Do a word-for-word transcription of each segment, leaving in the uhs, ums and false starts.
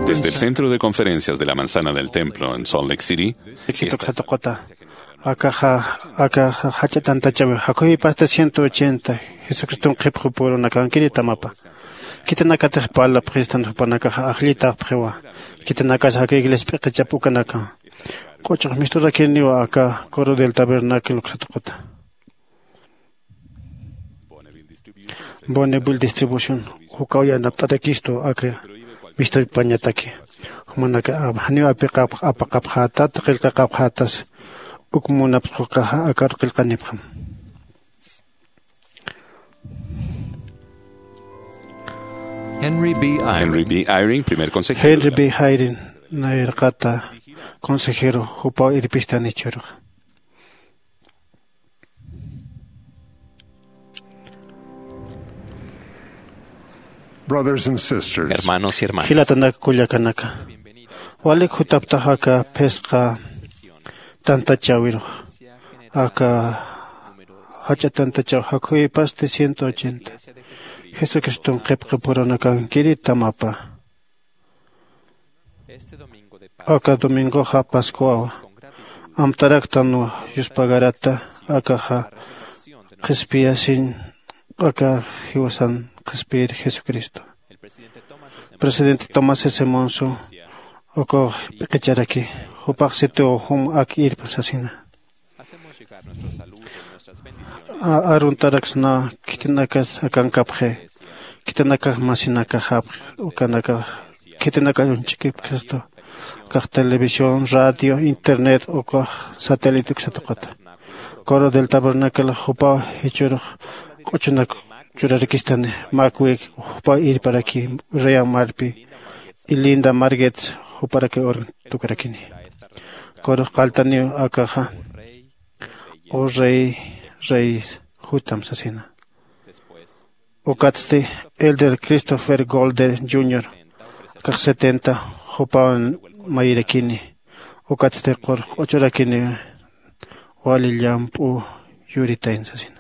Desde el Centro de Conferencias de la Manzana del Templo en Salt Lake City, esta es la... Akaxa, akaxa jach'a tantachawi jakhuy pasta ciento ochenta, Jesucriston qhipxu purunakankiri tamapa. Khitinakatix parlapxistan jupanakaxa ajllitaxpxiwa. Khitinakasa aka iglesia p'iqichap ukanaka. Q'uchux misturakiniwa aka coro del tabernáculo uksatuquta. Bonneville distribución jukaw yanapt'atakistu aka mistupañataki. Jumanaka janiw apiqapx apaqapxätat qillqaqapxätas uk munapxuqaxa akar qillqanipxam. Henry B. Eyring, primer consejero. Henry B. Eyring nayraqata consejero jupaw irpistan ichhürux. Brothers and sisters. Hermanos y hermanas. Jilatanak kullakanaka, walik jutaptax aka phisqa tantachäwirux. Aka jach'a tantachaw jakhuyipasti ciento ochenta, Jesucriston qhipqi purunakankiri tamapa. Aka domingoxa Pascuawa. Amtaraktanwa yuspagarata akaxa qhispiyasiñ aka jiwasan qhispiyir Jesucristo. Presidente Tomás S. Monson ukaw p'iqicharaki, jupax situw jum ak irpa sasina. A-, aruntaraksna khitinakas akankapxi, khitinakax masinakaxapxi, ukanakax khitinakax uñch'ikipxistu, ukax televisión, radio, internet, ukax satélite uksatuquta. Coro del Tabernáculo jupaw jichhürux q'uchunak churarikistani, mäkwik jupaw irparaki, Ria Marpi, y Linda Marget juparaki órgano tukarakini. Corux qalltaniw akaxa, O Rey, Reyes, jutam sasina. Ukatsti Elder Christopher Golder junior, akax setenta, jupaw mayirakini. Ukatsti qurux q'uchurakini, wali llamp'u yuritayn sasina.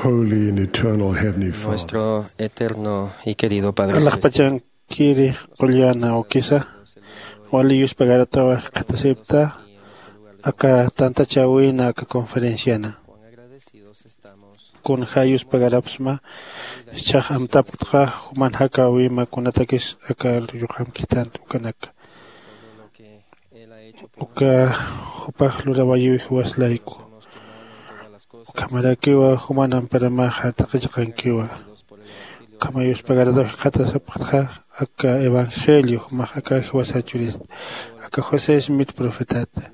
Holy and eternal Heavenly Father. Nuestro eterno y querido Padre Celestial. Alaxpachankiri qullana ukisa, wali yuspagaratawa jikxatasipta aka tantachäwina aka conferenciana. Kunja yuspagarapxsma, jichhax amtapktxa juman jakäwima kunatakis aka yuqamkitan ukanaka. Uka jupax lurawayuw jiwas layku. Ukhamarakiwa juman amparamaxa taqi chiqankiwa. Ukhama yuspagarataw jikxatasipxtxa aka evangelio jumax aka jiwasa churista, aka José Smith profetata.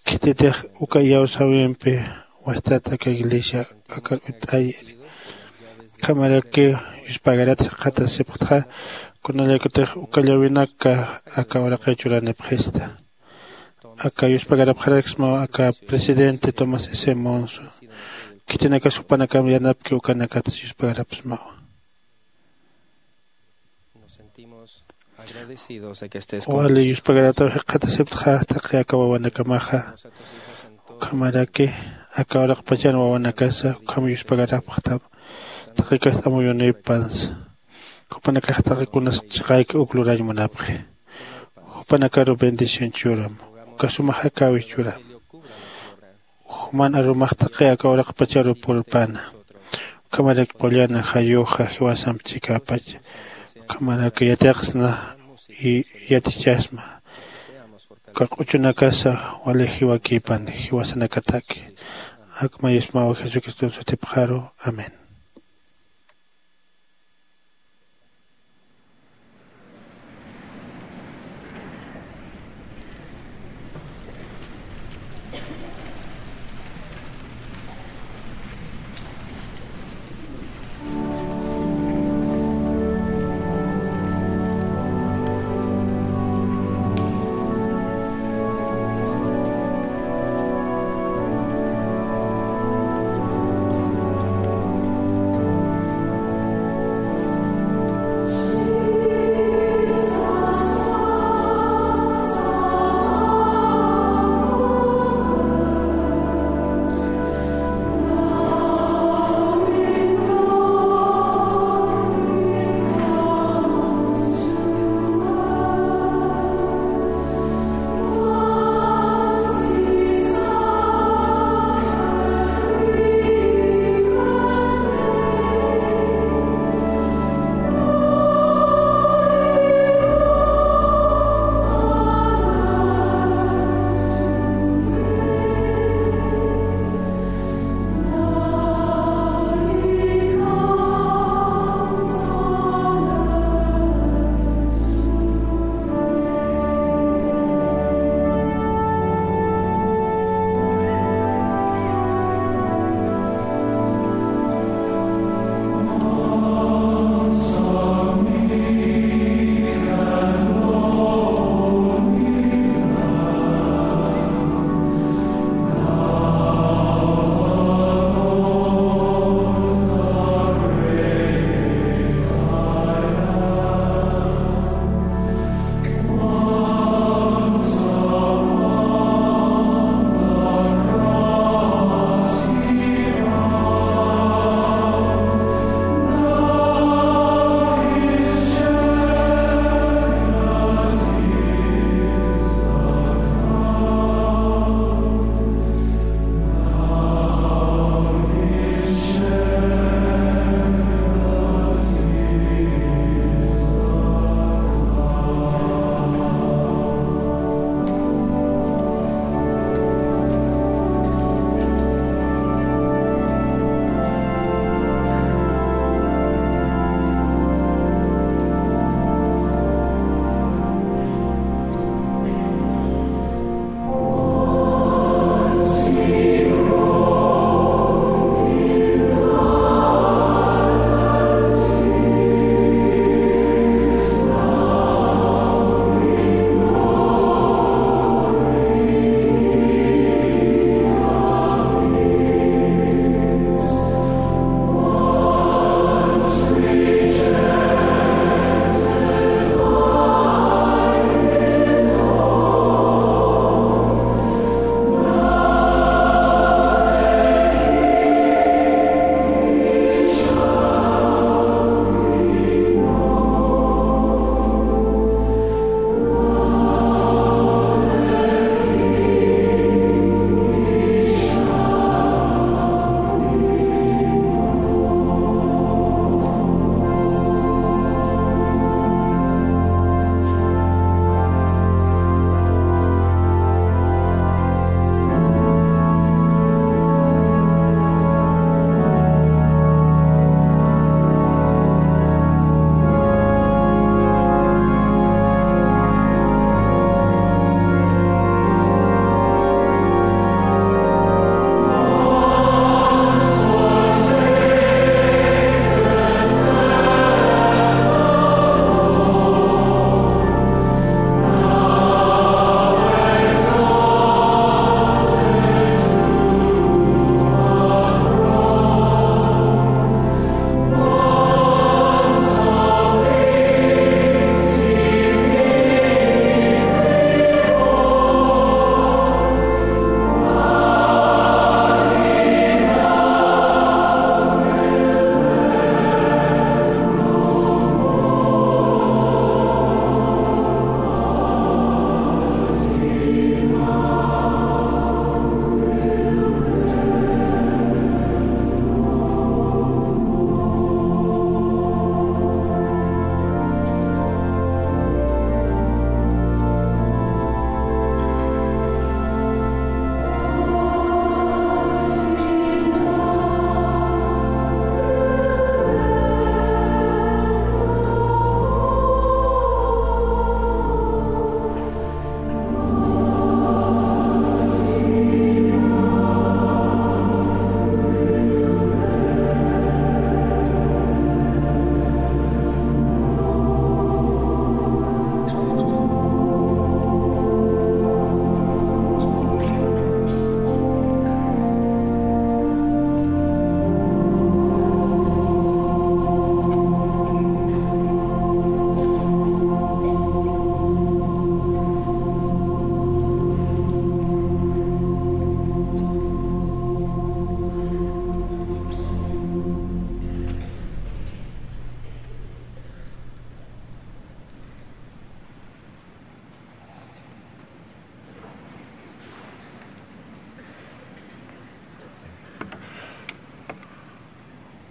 Khititix uka iyawsäwimpi wastat aka iglesia akar utt'ayiri. Ukhamaraki yuspagarat jikxatasipxtxa, kunallayakutix uka llawinaka aka uraqi churanipxista. Aka yuspagarapxaraksmaw aka presidente Thomas S. Monson. Khitinakas jupanakam yanapki ukanakatas yuspagarapxsmawa. Wali yuspagarataw jikxatasipxtxa taqi aka wawanakamaxa. Ukhamaraki aka uraqpachan wawanakasa ukham yuspagarapxtam. Taqikas amuyunïpansa. Jupanakax taqi kunas chiqayki uk lurañ munapxi. Jupanakaru bendición churam. Uka suma jakäwi churam. Juman arumax taqi aka uraqpacharu purpana. Ukhamarak qullana jayuxa jiwasamp chikäpacha. Ukhamarak yatiqsna y yatichasma. Uka q'uchunakasa wali jiwakïpan jiwasanakataki. Akma yusmaw Jesucristo sutipxaru. Amén.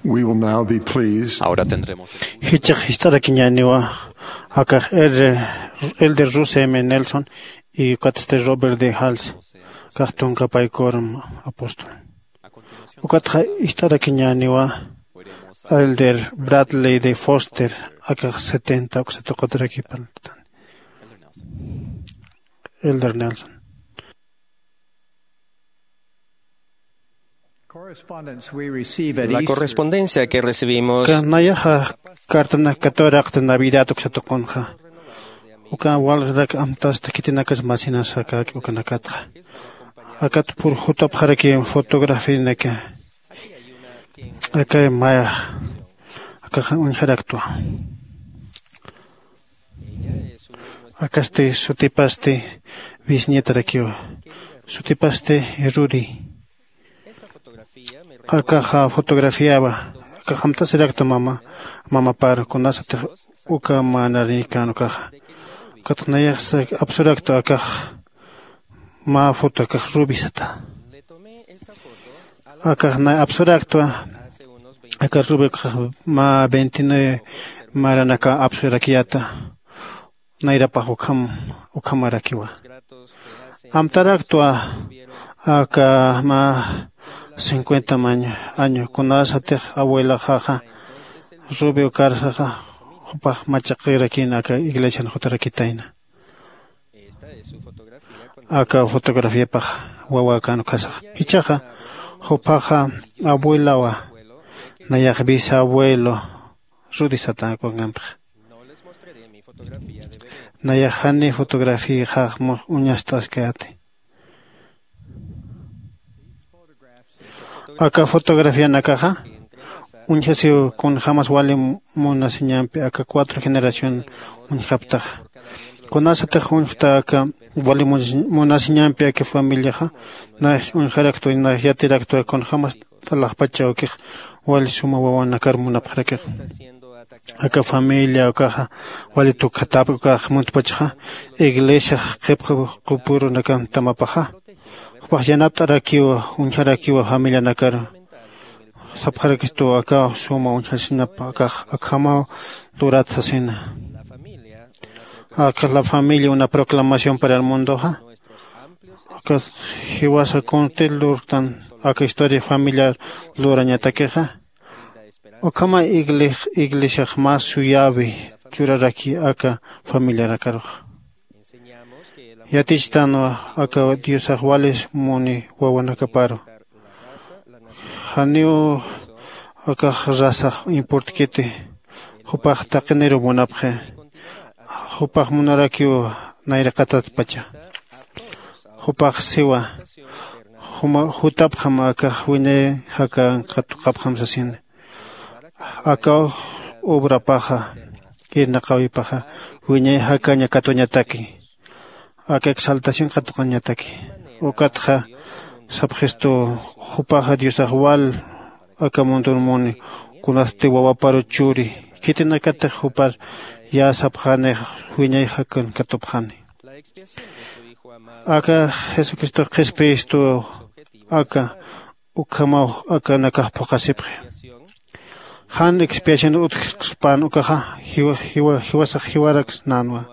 We will now be pleased. Ahora tendremos el... Jichhax jist'arakiñäniwa akax Elder, Elder Russell M. Nelson y ukatsti Robert D. Hales, kax tunka paykuram apóstol. Ukatxa jist'arakiñäniwa Elder Bradley D. Foster, akax setenta uksa tuqutarakipaltan. Elder Nelson. Correspondence we receive at... La Easter. Correspondencia que recibimos. Uka nayaxa cartanak katuwaraqta Navidad uksa tuqunxa. Uka walrak amtasta khitinakas masinas akäki ukanakatxa. Akat pur jutapxaraki fotografianaka. Aka mayax akaxa uñjaraktwa. Akasti sutipasti bisnietarakiwa. Sutipasti Rudy. Akaxa fotografiawa. Akax amtasirakta mama, mamapar kunasatix uka mä naranïkän ukaxa. Ukatxa nayax apsurakta akax mä foto akax Ruby sata. Akax nay apsuraktwa. Aka Ruby ukax mä veintinueve maranaka apsurakiyäta. Nayrapax ukham, ukhamarakiwa. Amtaraktwa aka mä cincuenta año, año kunasatix abuelaxaxa Ruby ukarsaxa jupax machaqirakïna aka iglesian jutarakitayna. Aka fotografiapax wawäkän ukasaxa. Jichhaxa jupaxa abuelawa, nayax bisabuelo Rudy sata kunjämtix. Nayax jani fotografiaxax mux uñast'askayäti. Aka fotografianakaxa uñjasiw kunjämas wali munasiñampi aka cuatro generación uñjaptaxa. Kunasatix uñjta aka wali munasiñampi aka familiaxa, nax uñjaraktwa, nax yatiraktwa kunjämas alaxpach awkix wali suma wawanakar munapxarakix. Aka familia ukaxa wali tukjatäpki ukax muntpachaxa, iglesiax qhipxi qupurunakan tamapaxa. Jupax yanapt'arakiwa, uñjarakiwa familianakaru. Sapxarakistu aka suma uñjasinapa akax akhamaw lurat sasina. Aka La Familia, una proclamación para el mundoxa. Aka jiwasa kuntil lurktan aka historia familiar lurañatakixa. Ukhama igle-, iglesiax mä suyäwi churaraki aka familiarakarux. Yatichtanwa aka Diosax wali muni wawanakaparu. Janiw akax razax importkiti, jupax taqiniru munapxi. Jupax munarakiw nayraqatatpacha. Jupax siwa, juma jutapxam akax wiñay jakan katuqapxam sasini. Aka obrapaxa irnaqäwipaxa wiñay jakaña katuñataki, aka exaltación katuqañataki. Ukatxa sapxistu, jupaxa Diosax wal aka mundun muni, kunasti wawaparu churi, khitinakatix jupar yä sapxänix wiñay jakan katupxani. Aka Jesucristox qhispiyistu aka ukhamaw akanakax phuqhasipxi. Jan expiación utjkspän ukaxa jiwa-, jiwa-, jiwasax jiwaraksnänwa.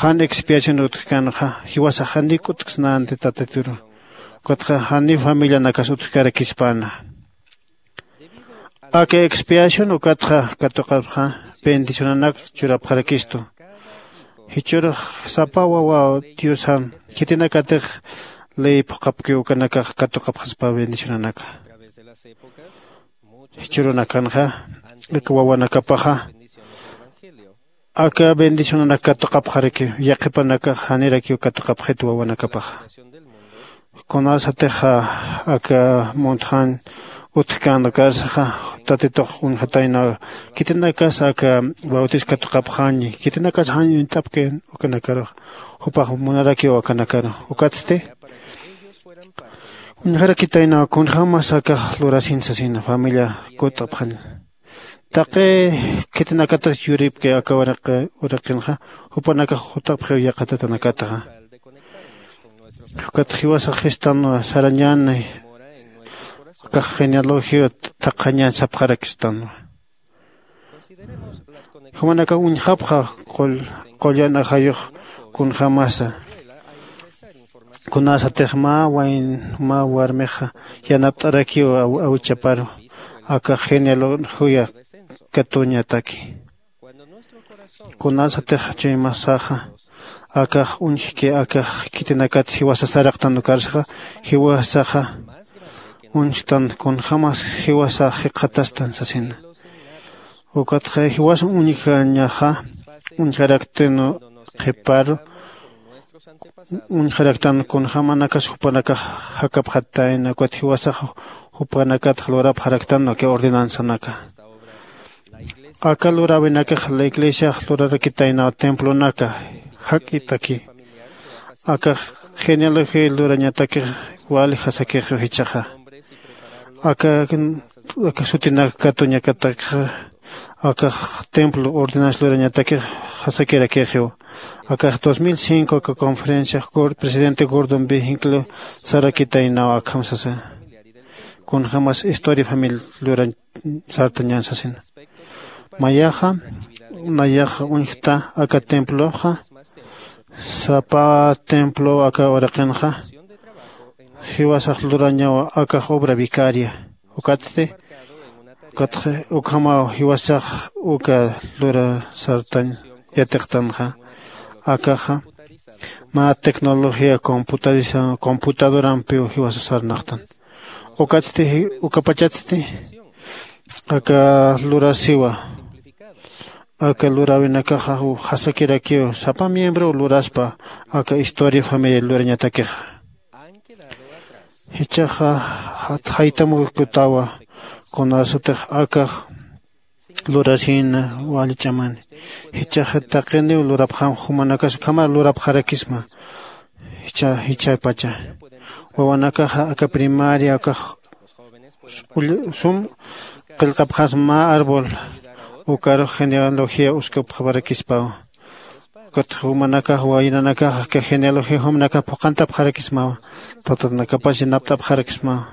Jan expiación utjkänxa jiwasax janik utjksnänti Tatituru. Ukatxa janiw familianakas utjkarakispäna. Aka expiación ukatxa katuqapxa bendicionanak churapxarakistu. Jichhürux sapa wawa Diosan khitinakatix ley phuqhapkiw ukanakax katuqapxaspa bendicionanaka. Jichhürunakanxa aka wawanakapaxa aka bendicionanak katuqapxaraki, yaqhipanakax janirakiw katuqapxit wawanakapaxa. Kunasatixa aka muntjan utjkän ukarsaxa Tatitux uñjatayna, khitinakas aka bautis katuqapxañi, khitinakas jan uñt'apki ukanakarux, jupax munarakiw akanakaru. Ukatsti uñjarakitayna kunjämas akax lurasin sasina familia kut'apxani. Taqi khitinakatix yuripki aka uraqi-, uraqinxa, jupanakax jutapxiw yaqha tatanakatxa. Ukat jiwasax jistan sarañäni, Akax genealogía thaqhañan sapxarakstanwa. Jumanakax uñjapxa qullan ajayux kunjämasa kunasatix mä wayn mä warmixa yanapt'arakiw awichaparu aka genealogía katuñataki. Kunasatix chuymasaxa akax uñjki akax khitinakat jiwasa saraqtan ukarsaxa jiwasaxa uñjtan kunjämas jiwasax jikxatastan sasina. Ukatxa jiwas uñjañaxa uñjaraktinu qhiparu uñjaraktan kunjämanakas jupanakax jakapxatayna ukat jiwasax jupanakatx lurapxaraktan aka ordenanzanaka. Aka luräwinakax la iglesiax lurarakitaynaw templonaka jak'itaki. Akax genealogía lurañatakix wali jasakix jichhaxa aka aka sutinak katuñakatakxa akax templo ordenanza lurañatakix jasakirakixiw. Akax dos mil cinco aka conferencia presidente Gordon B Hinckley sarakitaynaw akham sasa kunjämas historia familia lurañ sartañan sasina. Mayaxa nayaxa uñjta aka temploxa sapa templo aka uraqinxa jiwasax lurañawa akax obra vicaria. Ukatsti ukatxa ukhamaw jiwasax uka lura sartañ yatiqtanxa akaxa mä tecnología computadorampiw jiwasa sarnaqtan. Ukatsti ukapachatsti aka lurasiwa aka luräwinakaxa jasakirakiw sapa miembro luraspa aka historia familia lurañatakixa. Jichhaxa jaytamukutawa kunasatix akax lurasïna wali ch'amani. Jichhaxa taqiniw lurapxam jumanakas ukhamar lurapxarakisma. Jichhapacha wawanakaxa aka primaria akax sum qillqapxasma mä árbol ukarux genealogía uskapxaparakispawa. Ukat jumanakax wayranakax aka genealogía jumanakax phuqhantapxarakismawa. Tatanakapas yanapt'apxarakismawa.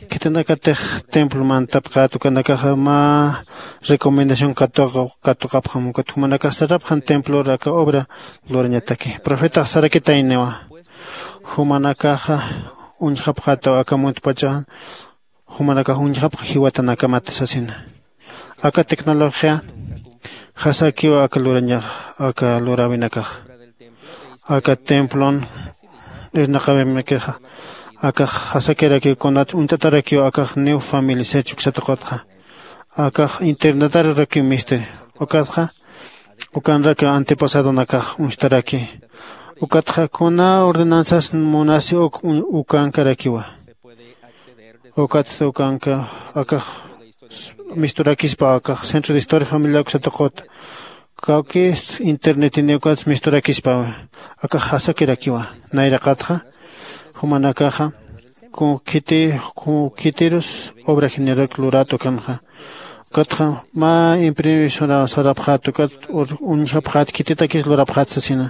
Khitinakatix templo mantapxät ukanakaxa mä recomendación katuqapxam ukat jumanakax sarapxan templor aka obra lurañataki profetax sarakitayniwa. Jumanakaxa uñjapxätaw aka muntpachaxan jumanakax uñjapxa jiwatanakamat sasina. Aka tecnología jasakiw aka lurañax aka luräwinakax aka templon irnaqawimakixa akax jasakirakiw kunat uñt'atarakiw akax new family sech uksataqutxa akax internetarurakiw mistiri. Ukatxa ukanraki antepasadonakax uñstarakiy. Ukatxa kuna ordenanzas munasi uk ukankarakiwa. Ukatsti ukanka akax misturakispa akax centro de historia familiar uksataqut kawkï internetiniw ukats misturakispawa. Akax jasakirakiwa nayraqatxa jumanakaxa kun khiti kun khitirus obra general lurat ukanxa. Ukatxa mä imprimisoraw sarapxät ukat uñjapxät khititakis lurapxät sasina.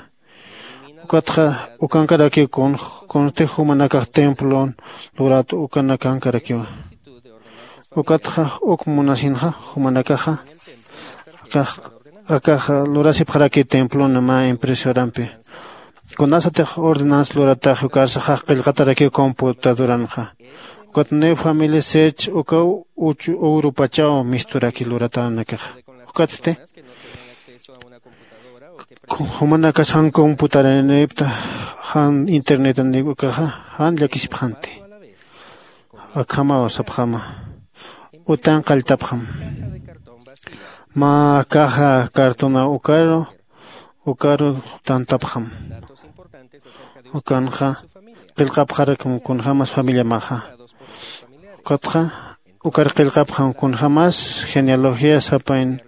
Ukatxa ukankarakiw kun kunsti jumanakax templon lurat ukanakankarakiwa. Ukatxa uk munasinxa jumanakaxa akax akax lurasipxarakiw templona mä impresorampi. Kunasatix ordenanza lurataxi ukarsaxax qillqatarakiw computadoranxa. Ukat new familia sech ukaw uchu urupachaw misturaki luratanakaxa. Ukatsti jumanakas jan computaranipta jan internetanip ukaxa jan llakisipxanti. Akhamaw sapxama utan qalltapxam mä caja cartona ukaru ukaru tantapxam. Ukanxa qillqapxarakam kunjämas familiamaxa. Ukatxa ukar qillqapxam kunjämas genealogía sapayn.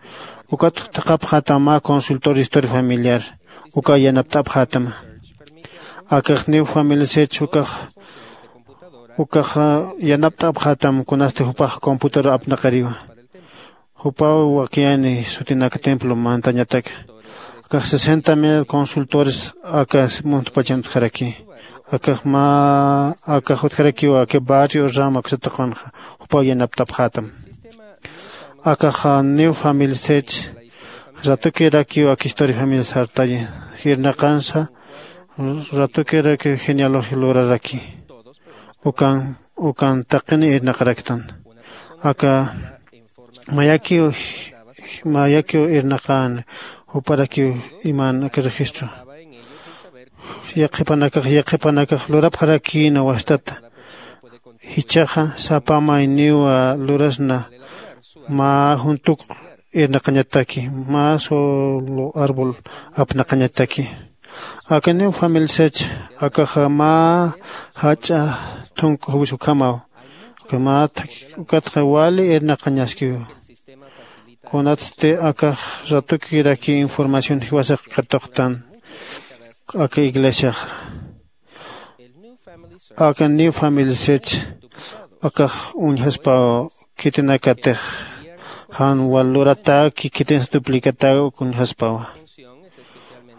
Ukat thaqhapxätam mä consultor historia familiar uka yanapt'apxätama. Akax new familia sech ukax ukax yanapt'apxätam kunasti jupax computador apnaqiriwa. Jupaw wakiyani sutinak templo mantañataka. Akax sesenta mil consultores aka muntpachan utjaraki. Akax mä akax utjarakiw aka barrio rama uksatuqunxa jupaw yanapt'apxätam. Akax new family sech ratukirakiw aka historia familia sartayi irnaqansa. Ratukirakiw genealogía luraraki ukan ukan taqini irnaqaraktan. Aka mayakiw mayakiw irnaqan juparakiw iman aka registro yaqhipanakax yaqhipanakax lurapxarakïna wastata. Jichhaxa sapa mayniw lurasna mä juntuk irnaqañataki mä solo árbol apnaqañataki. Akaniw familisach akaxa mä jach'a thunku juwis ukhamaw. Ukhama ukatxa wali irnaqañaskiw kunatsti akax ratukiraki información jiwasax katuqtan aka iglesiax. Aka new familisach akax uñjaspaw khitinakatix jan wal luratäki khitinsa duplicataw uñjaspawa.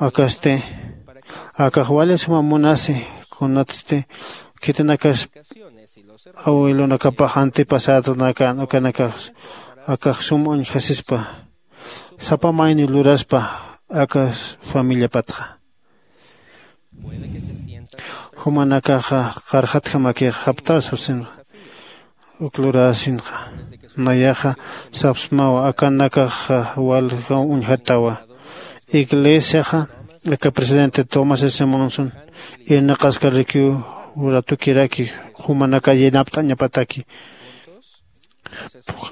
Akasti akax wali suma munasi kunatsti khitinakas awilunakapax antepasadonakan ukanakax akax sum uñjasispa sapa mayni luraspa aka familiapatxa. Jumanakaxa qarxatjamakix japtaw sapsinxa uk lurasinxa nayaxa sapsmawa akanakaxa walja uñjatawa. Iglesiaxa aka presidente tomás s monson irnaqaskarakiw ratukiraki jumanaka yanapt'añapataki.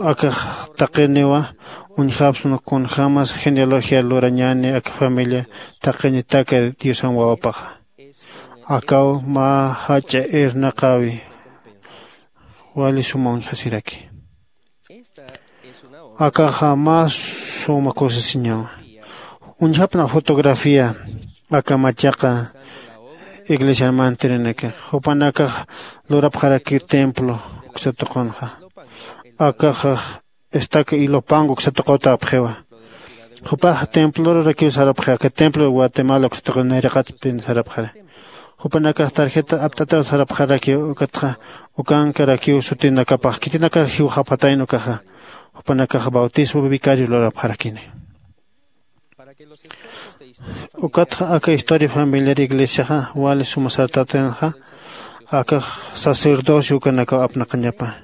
Akax taqiniwa uñjapsna kunjämas genealogía lurañäni aka familia taqinitaka diosan wawapaxa. Akaw mä jach'a irnaqäwi wali suma uñjasiraki. Akaxa mä suma kusisiñawa. Uñjapna fotografía aka machaqa iglesian mantirinakax jupanakax lurapxaraki templo uksa tuqunxa. Akaxax estaca ilopango uksa tuqutapxiwa. Jupax templorarakiw sarapxi aka templo guatemala uksa tuqun nayraqatpin sarapxara. Jupanakax tarjeta apt'ataw sarapxarakiw ukatxa ukankarakiw sutinakapax khitinakax jiwxapxatayna ukaxa. Jupanakax bautismo vicario lurapxarakini. Ukatxa aka historia familiar iglesiaxa wali suma sartatinxa akax sacerdocio ukanakaw apnaqañapa.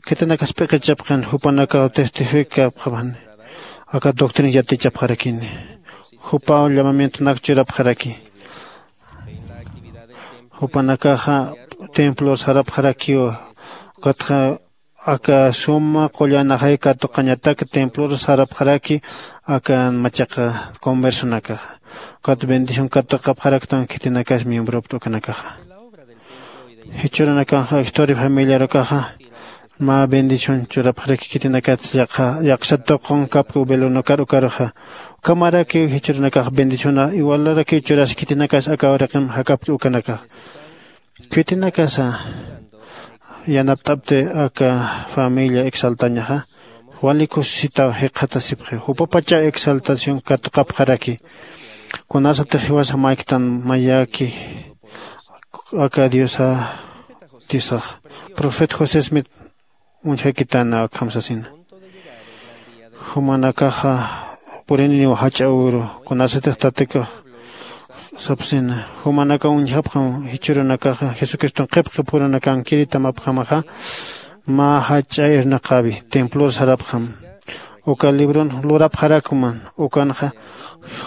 Khitinakas p'iqichapxin jupanakaw testificapxapxani aka doctrina yatichapxarakini. Jupaw llamamientonak churapxaraki. Jupanakaxa templor sarapxarakiw. Ukatxa aka suma qullanaxay katuqañatak templor sarapxaraki aka machaqa conversonakaxa. Ukat bendición katuqapxaraktan khitinakas miembropta ukanakaxa. Jichhüranakanxa historia familiar ukaxa mä bendición churapxaraki khitinakat yaqha yaqsa tuqun kapki ubelonokar ukaruxa. Ukhamarakiw jichhüranakax bendición iwalarakiw churasi khitinakas aka uraqim jakapki ukanakax. Khitinakasa yanapt'apti aka familia exaltañaxa wali kusisitaw jikxatasipxi jupapachaw exaltación katuqapxaraki. Kunasatix jiwasa mayktan mayaki aka diosa diosax profeta josé smith uñjakitana akham sasina. Jumanakaxa purininiw jach'a uru kunasatix tatikax sapsina jumanakaw uñjapxam jichhürunakaxa jesucriston qhipqi purunakankiritam apjamaxa. Mä jach'a irnaqäwi templor sarapxam uka libron lurapxarakman ukanxa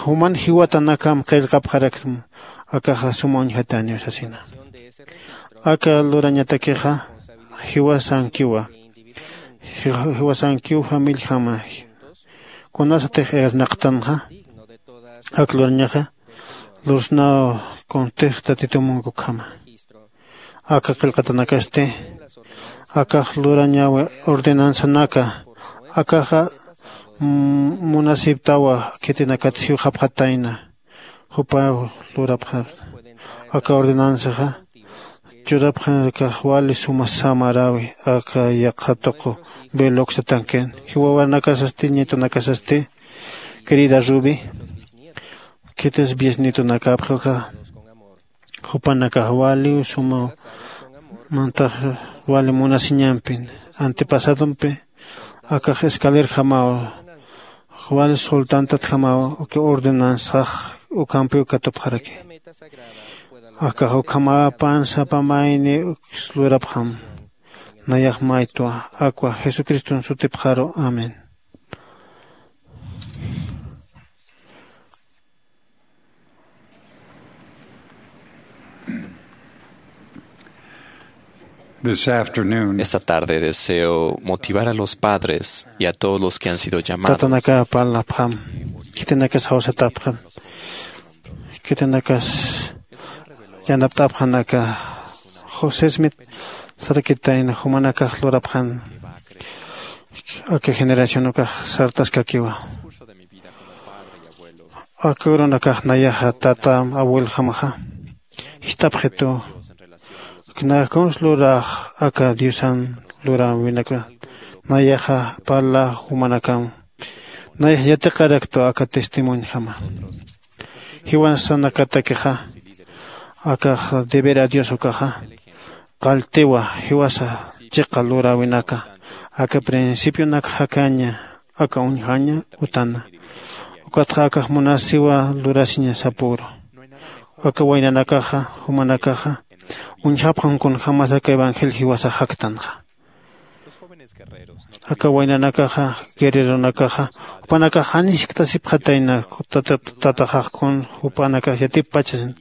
juman jiwatanakam qillqapxaraktam. Akaxa suma uñjataniw sasina. Aka lurañatakixa jiwasankiwa jiwasankiw familijama kunasatix irnaqtanxa. Ak lurañaxa lursnaw kuntix tatitumunkukhama. Aka qillqatanakasti akax lurañawi ordenanzanaka akaxa munasiptawa khitinakat jiwxapxatayna. Jupaw lurapxar aka ordenanzaxa churapxanakax wali suma samaräwi aka yaqha tuqu veloxatankin jiwawanakasasti ñitunakasasti querida ruby. Khitis biesnitunakapxi uka Jupanakax waliw suma mantax wali munasiñampi. Antepasadompi akax escalerjamaw wali soltantatjamaw uki ordenanzax ukampiw katupxaraki. Akax ukhamapan sapa mayni uks lurapxam. Nayax maytwa akwa jesucriston sutipxaru. Amén. This afternoon, esta tarde deseo motivar a los padres y a todos los que han sido llamados. Tatanaka parlapxam. Khitinakas jawsatapxam. Khitinakas yanapt'apxanaka. José Smith sarakitayna jumanakax lurapxan. Aka generación ukax sartaskakiwa. Aka urunakax nayaxa tata abueljamaxa jist'apxitu. Nayax kuns lurax aka diosan luräwinaka nayaxa parla jumanakam. Nayax yatiqaraktu aka testimoniojama. Jiwasanakatakixa akax deber a dios ukaxa qalltiwa. Jiwasa chiqa luräwinaka aka principionak jakaña aka uñjaña utana. Ukatxa akax munasiwa lurasiña sapüru. Aka waynanakaxa jumanakaxa uñjapxam kunjämas aka evangelio jiwasax jaktanxa. Aka waynanakaxa guerreronakaxa jupanakax jan jiskt'asipxatayna. Tataxax kun jupanakax yatippachasin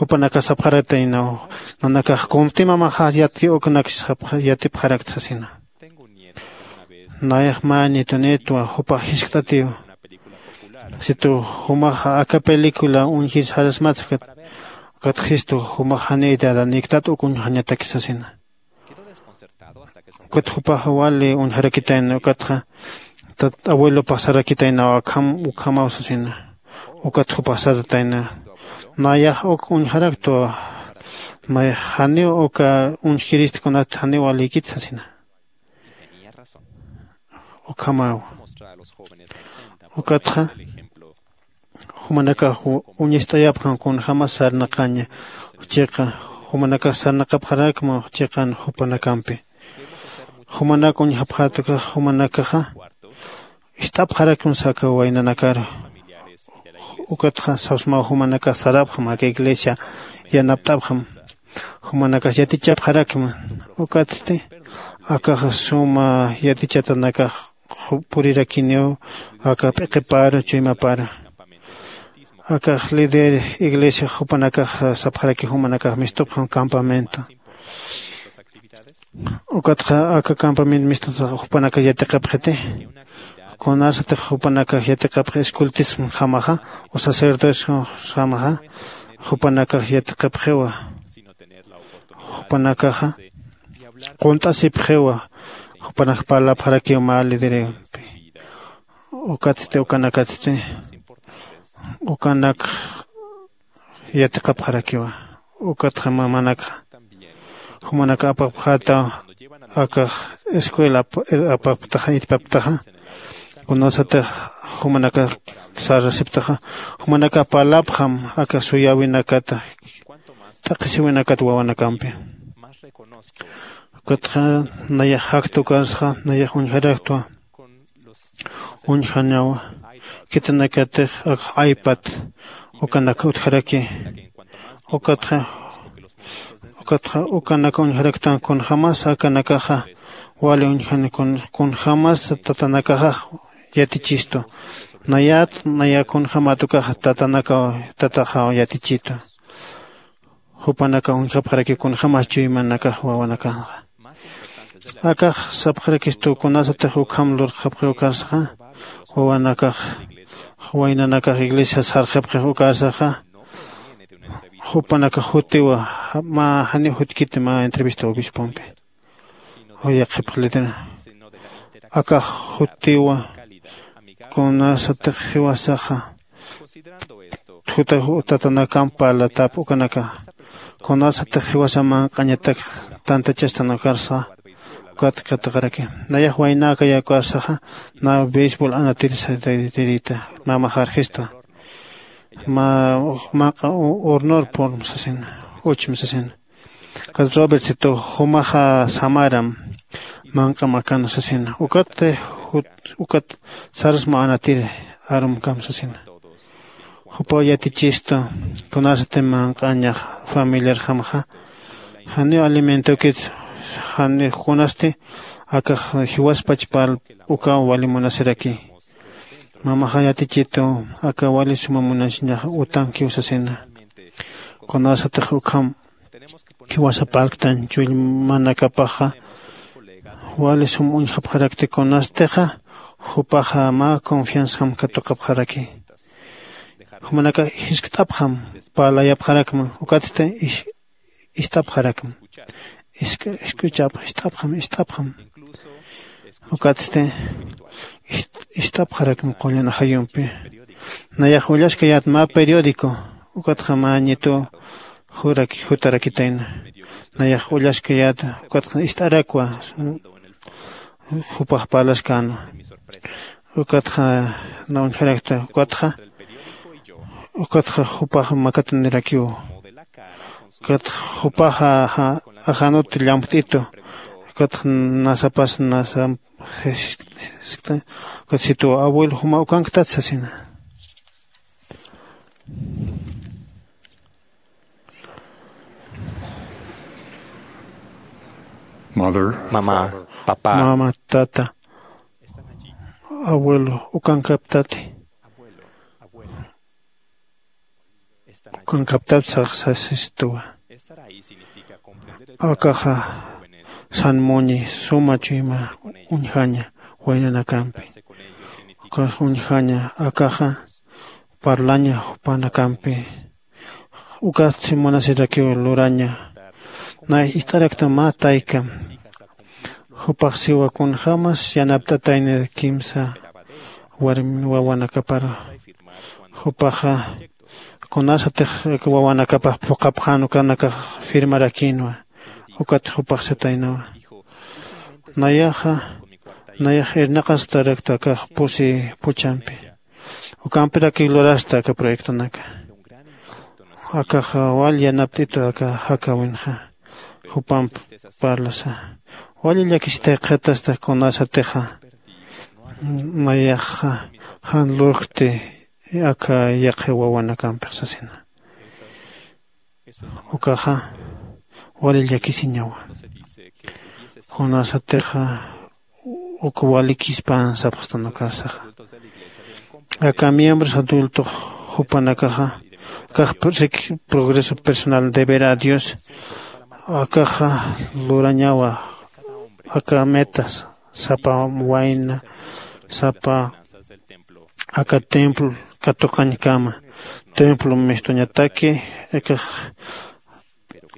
jupanakax sapxarataynaw nanakax kuntimamaxax yatki uknakis yatipxarakta sasina. Nayax mä nitunitwa jupax jiskt'atiw. Situ jumax aka película uñjir sarasmatxkat ukat jistu jumax janiy dadaniktat uk uñjañataki sasina. Ukat jupax wali uñjarakitayna ukatxa tat abuelopax sarakitaynaw akham ukhamaw sasina. Ukat jupax saratayna nayax uk uñjaraktwa. Nayax janiw uka uñjkiristkunat janiw walïkit sasina. Ukhamaw ukatxa jumanakax uñist'ayapxam kunjämas sarnaqaña. Chiqa jumanakax sarnaqapxarakma chiqan jupanakampi. Jumanak uñjapxätukax jumanakaxa ist'apxarakma saka waynanakaru. Ukatxa sawsmaw jumanakax sarapxam aka iglesia yanapt'apxam. Jumanakax yatichapxarakma. Ukatsti akaxa suma yatichatanakax purirakiniw aka p'iqiparu chuymaparu. Akax líder iglesia jupanakax sapxaraki jumanakax mistupxam campamento. Ukatxa aka campamento mistutax jupanakax yatiqapxiti. Kunasatix jupanakax yatiqapxi escultismjamaxa o sacerdociojamaxa jupanakax yatiqapxiwa. Jupanakaxa qunt'asipxiwa. Jupanakax parlapxarakiw mä liderimpi. Ukatsti ukanakatsti ukanak yatiqapxarakiwa. Ukatxa mamanakxa jumanaka apapxätaw. Akax escuela apaptaxa irpaptaxa kunasatix jumanaka sarasiptaxa jumanaka parlapxam aka suyäwinakata t'aqhisiwinakat wawanakampi. Ukatxa nayax jaktukarsa nayax uñjaraktwa. Uñjanawa khitinakatix akx aypat ukanak utjaraki. Ukatxa ukatxa ukanak uñjaraktan kunjämas akanakaxa wali uñjan kunjämas tatanakaxax yatichistu. Nayat naya kunjämat ukaxa tatanakaw tataxaw yatichitu. Jupanakax uñjapxaraki kunjämas chuymanakax wawanakanxa. Akax sapxarakistu kunasatix ukham lurxapxi ukarsaxa wawanakax waynanakax iglesias sarxapxix ukarsaxa jupanakax jutiwa. Mä janiw jutkiti mä entrevista obispompi. Yaqhipxlitira akax jutiwa kunasatix jiwasaxa juta tatanakamp parlatap ukanaka kunasatix jiwasa manq'añatak tantachastan ukarsa ukat katiqaraki. Nayax waynäkaya ukarsaxa nä beisbol anatirsataytirïta mä maxarjista mä manq'a hornor porm sasina. Uchmi sasina. Ukat robertsitu jumaxa samaram manq'am akan sasina. Ukat ukat sarasma anatir arumkam sasina. Jupaw yatichistu kunasati manq'añax familiarjamxa janiw alimentokit janiw kunasti akax jiwaspach pal ukaw wali munasiraki. Mamaxa yatichitu aka wali suma munasiñax utankiw sasina. Kunasatix ukham jiwasa parlktan chullmanakapaxa wali sum uñjapxarakti kunastixa jupaxa mä confianzam katuqapxaraki. Jumanaka jiskt'apxam parlayapxarakma ukatsti ist'apxarakma. Isk'uchapx ist'apxam ist'apxam. Ukatsti ist'apxarakma qullan ajayumpi. Nayax ullaskayät mä periódico ukatxa mä ñituw jutarakitayna. Nayax ullaskayät ukatxa ist'arakwa jupax parlaskänwa. Ukatxa na uñjarakta ukatxa ukatxa jupax makatanirakiw. Ukatxa jupaxa ajanut llampt'itu. Ukatxa nasapas nasa ukat situ abuelo juma ukanktat sasina. Mother, mama, papa, mama, tata, abuelo ukankaptati. Ukankaptapsax sasistuwa. Akaxa sanmuñi suma chuyma uñjaña waynanakampi. Ukax uñjaña akaxa parlaña jupanakampi. Ukatsi munasirakiw luraña. Nay ist'arakta mä tayka jupax siwa kunjämas yanapt'atayni kimsa warmi wawanakaparu. Jupaxa kunasatix wawanakapax phuqhapxän ukanakax firmarakïnwa. Ukat jupax sataynawa. Nayaxa nayax irnaqastarakta akax pusi puchampi. Ukampirakiw lurasta aka proyectonaka. Akaxa wal yanapt'itu aka jakawinxa jupamp parlasa. Wali llakisitay qhitasta kunasatixa nayaxa jan lurkti aka yaqhi wawanakampix sasina. Ukaxa wali llakisiñawa. Kunasatixa uk walikispan sapxstan ukarsaxa. Aka miembros adultox jupanakaxa akax progreso personal deber a dios akaxa lurañawa. Aka metas sapa wayna sapa aka templo katuqañkama templo mistuñataki akax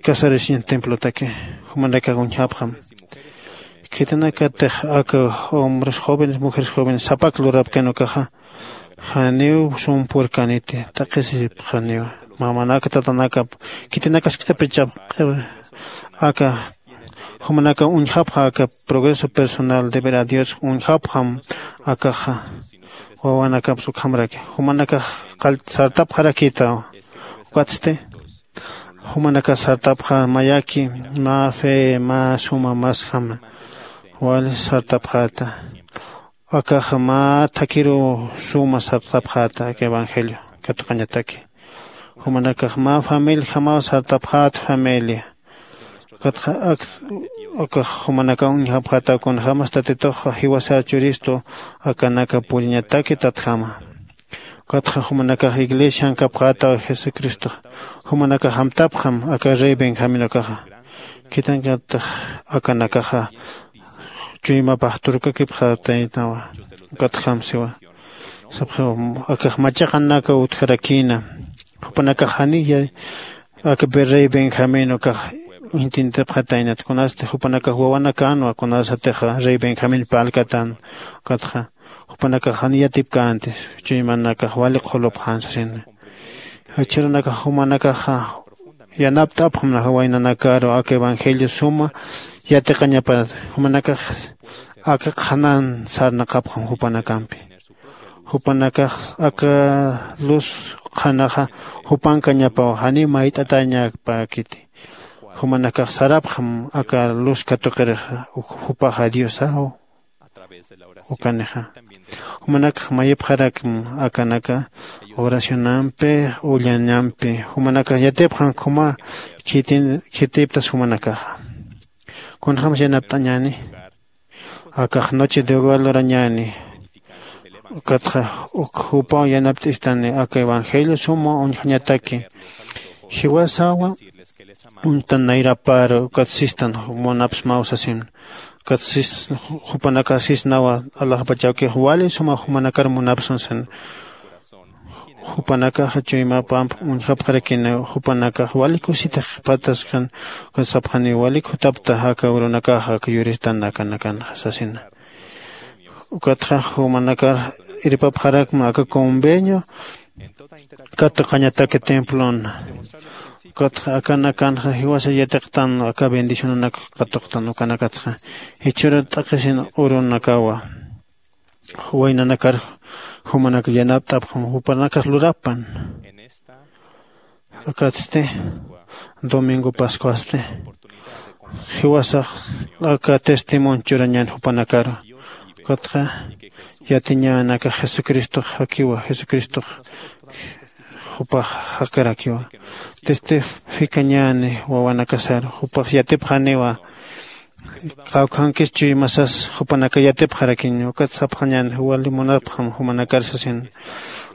casarisiñan templotaki jumanakax uñjapxam. Khitinakatix aka hombres jóvenes mujeres jóvenes sapak lurapkan ukaxa janiw sumpurkaniti. T'aqhisipxaniwa mamanaka tatanakap khitinakas q'ipichap q'ipi aka jumanaka uñjapxa aka progreso personal deber a dios uñjapxam. Akaxa wawanakapsa ukhamraki jumanakax sartapxarakïtaw. Ukatsti jumanakax sartapxa mayaki mä fe mä suma masjama wali sartapxäta. Akaxa mä thakhiruw suma sartapxäta aka evangelio katuqañataki. Jumanakax mä familiajamaw sartapxäta familia. Ukatxa ak akax jumanakaw uñjapxätaw kunjämas tatitux jiwasar churistu akanaka puriñataki tatjama. Ukatxa jumanakax iglesian kapxätaw jesucristox jumanakax amtapxam aka rey benjamin ukaxa. Khitinankatix akanakaxa chuymapax turkakipxätaynawa. Ukatjam siwa sapxiw akax machaqanakaw utjarakïna. Jupanakax janiya aka rey benjamin ukax intintipxataynat kunasti jupanakax wawanakänwa kunasatixa rey benjamin parlkatan. Ukatxa jupanakax janiy yatipkänti chuymanakax wali qhulupxän sasina. Jichhürunakax jumanakaxa yanapt'apxam waynanakaru aka evangelio suma yatiqañapat. Jumanakax aka qhanan sarnaqapxam jupanakampi. Jupanakax aka luz qhanaxa jupankañapaw janiw mayt'atañapäkiti. Jumanakax sarapxam aka luz katuqirixa jupaxa diosaw. Ukanixa jumanakax mayipxarakm akanaka oracionampi ullañampi jumanakax yatipxan khuma khitiptas jumanakaxa. Kunjämsa yanapt'añäni akax noche de hogar lurañäni. Ukatxa uk jupaw yanapt'istani aka evangelio suma uñjañataki jiwasawa uñtan nayraparu ukat sistan munapsmaw sasin. Ukat sis jupanakax sisnawa alaxpachawkix wali suma jumanakar munapsan san. Jupanakaxa chuymapamp uñjapxarakiniw jupanakax wali kusitax pataskan ukat sapxaniw wali khutapta aka urunakaxa aka yuristan akanakan sasina. Ukatxa jumanakar irpapxarakma aka convenio katuqañataki templon. Ukatxa akanakanxa jiwasa yatiqtan aka bendicionanak katuqtan ukanakatxa jichhürat t'aqhisin urunakawa waynanakar jumanak yanapt'apxam jupanakas lurapan. Akatsti domingo pascuasti jiwasax aka testimonio churañan jupanakaru. Ukatxa yatiñän aka jesucristox jakiwa jesucristox jupax jakarakiwa. Testificañäni wawanakasaru jupax yatipxaniwa. Qawkhankis chuymasas jupanaka yatipxarakiña ukat sapxañäni wali munapxam jumanakar sasin.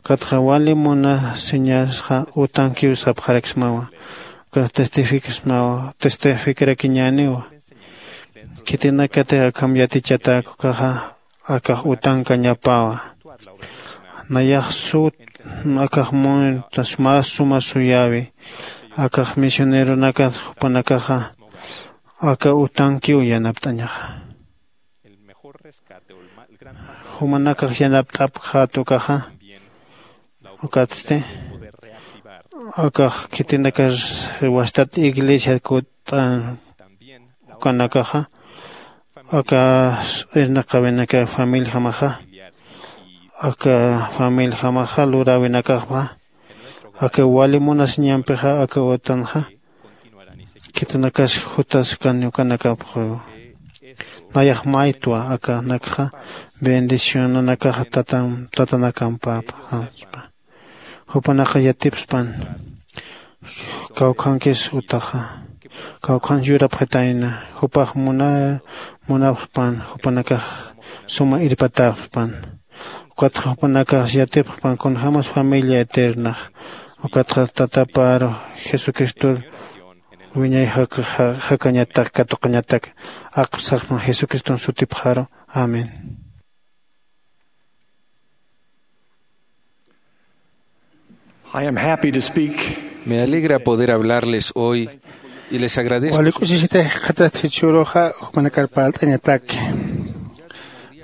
Ukatxa wali munasiñasxa utankiw sapxaraksmawa. Ukat testificsmawa testificrakiñäniwa. Khitinakatix akham yatichatäk ukaxa akax utankañapawa. Nayax sut akax muntas mä suma suyäwi. Akax misioneronakat jupanakaxa aka utankiw yanapt'añaxa. Jumanakax yanapt'apxät ukaxa ukatsti akax khitinakar wastat iglesia kut'an ukanakaxa aka irnaqäwinaka familjamaxa aka familjamaxa luräwinakaxpa aka wali munasiñampixa aka utanxa. Khitinakas jutas kani ukanakapxiw nayax maytwa akanakxa bendicionanakaxa tatanakampapxaspa. Jupanakax yatipspan kawkhankis utaxa kawkhan yurapxitayna jupax munapxpan jupanakax suma irpatäpxpan. Ukatxa jupanakax yatipxpan kunjämas familia eternax ukatxa tataparu jesucristor wiñay jakañatak katuqañatak aqpsaxpan jesucriston sutipxaru. Amén. I am happy to speak. Me alegra poder hablarles hoy y les agradezco. Wali k'usisita jikxatat jichhüruxa jupanakar parlt'añataki.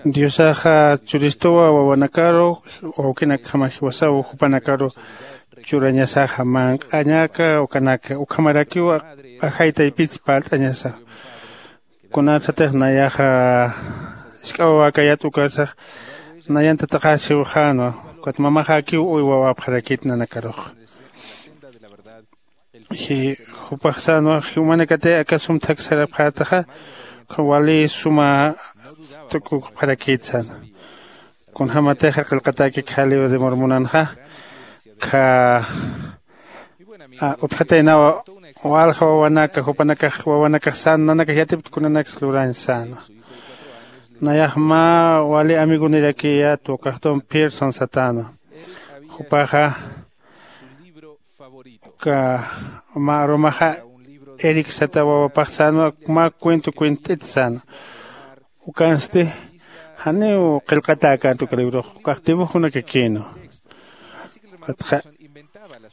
Diosaxa churistuwa wawanakaru wawkinakjama jiwasaw jupanakaru churañasaxa manq'añaka ukanaka ukhamarakiw ajay taypit parlt'añasa. Kunatsatix nayaxa jisk'a wawäkayät ukarsax nayan tataxäsiwxänwa. Ukat mamaxäkiw uy wawäpxarakit nanakarux. Jupax sänwa jumanakatiy aka sum thak sarapxätaxa wali suma tukukpxarakit sänwa. Kunjämatixa qillqatäki kha libro de mormonanxa kha utjataynawa walja wawanaka jupanakax wawanakax sän nanakax yatipta kunanaksa lurañ sänwa. Nayax mä wali amigonirakiya tukaxtum pierson satänwa. Jupaxa uka mä arumaxa eric sata wawapax sänwa mä cuento cuent'it sänwa. Ukansti janiw qillqatäkänti uka librox ukax dibujonakakïnwa. Ukatxa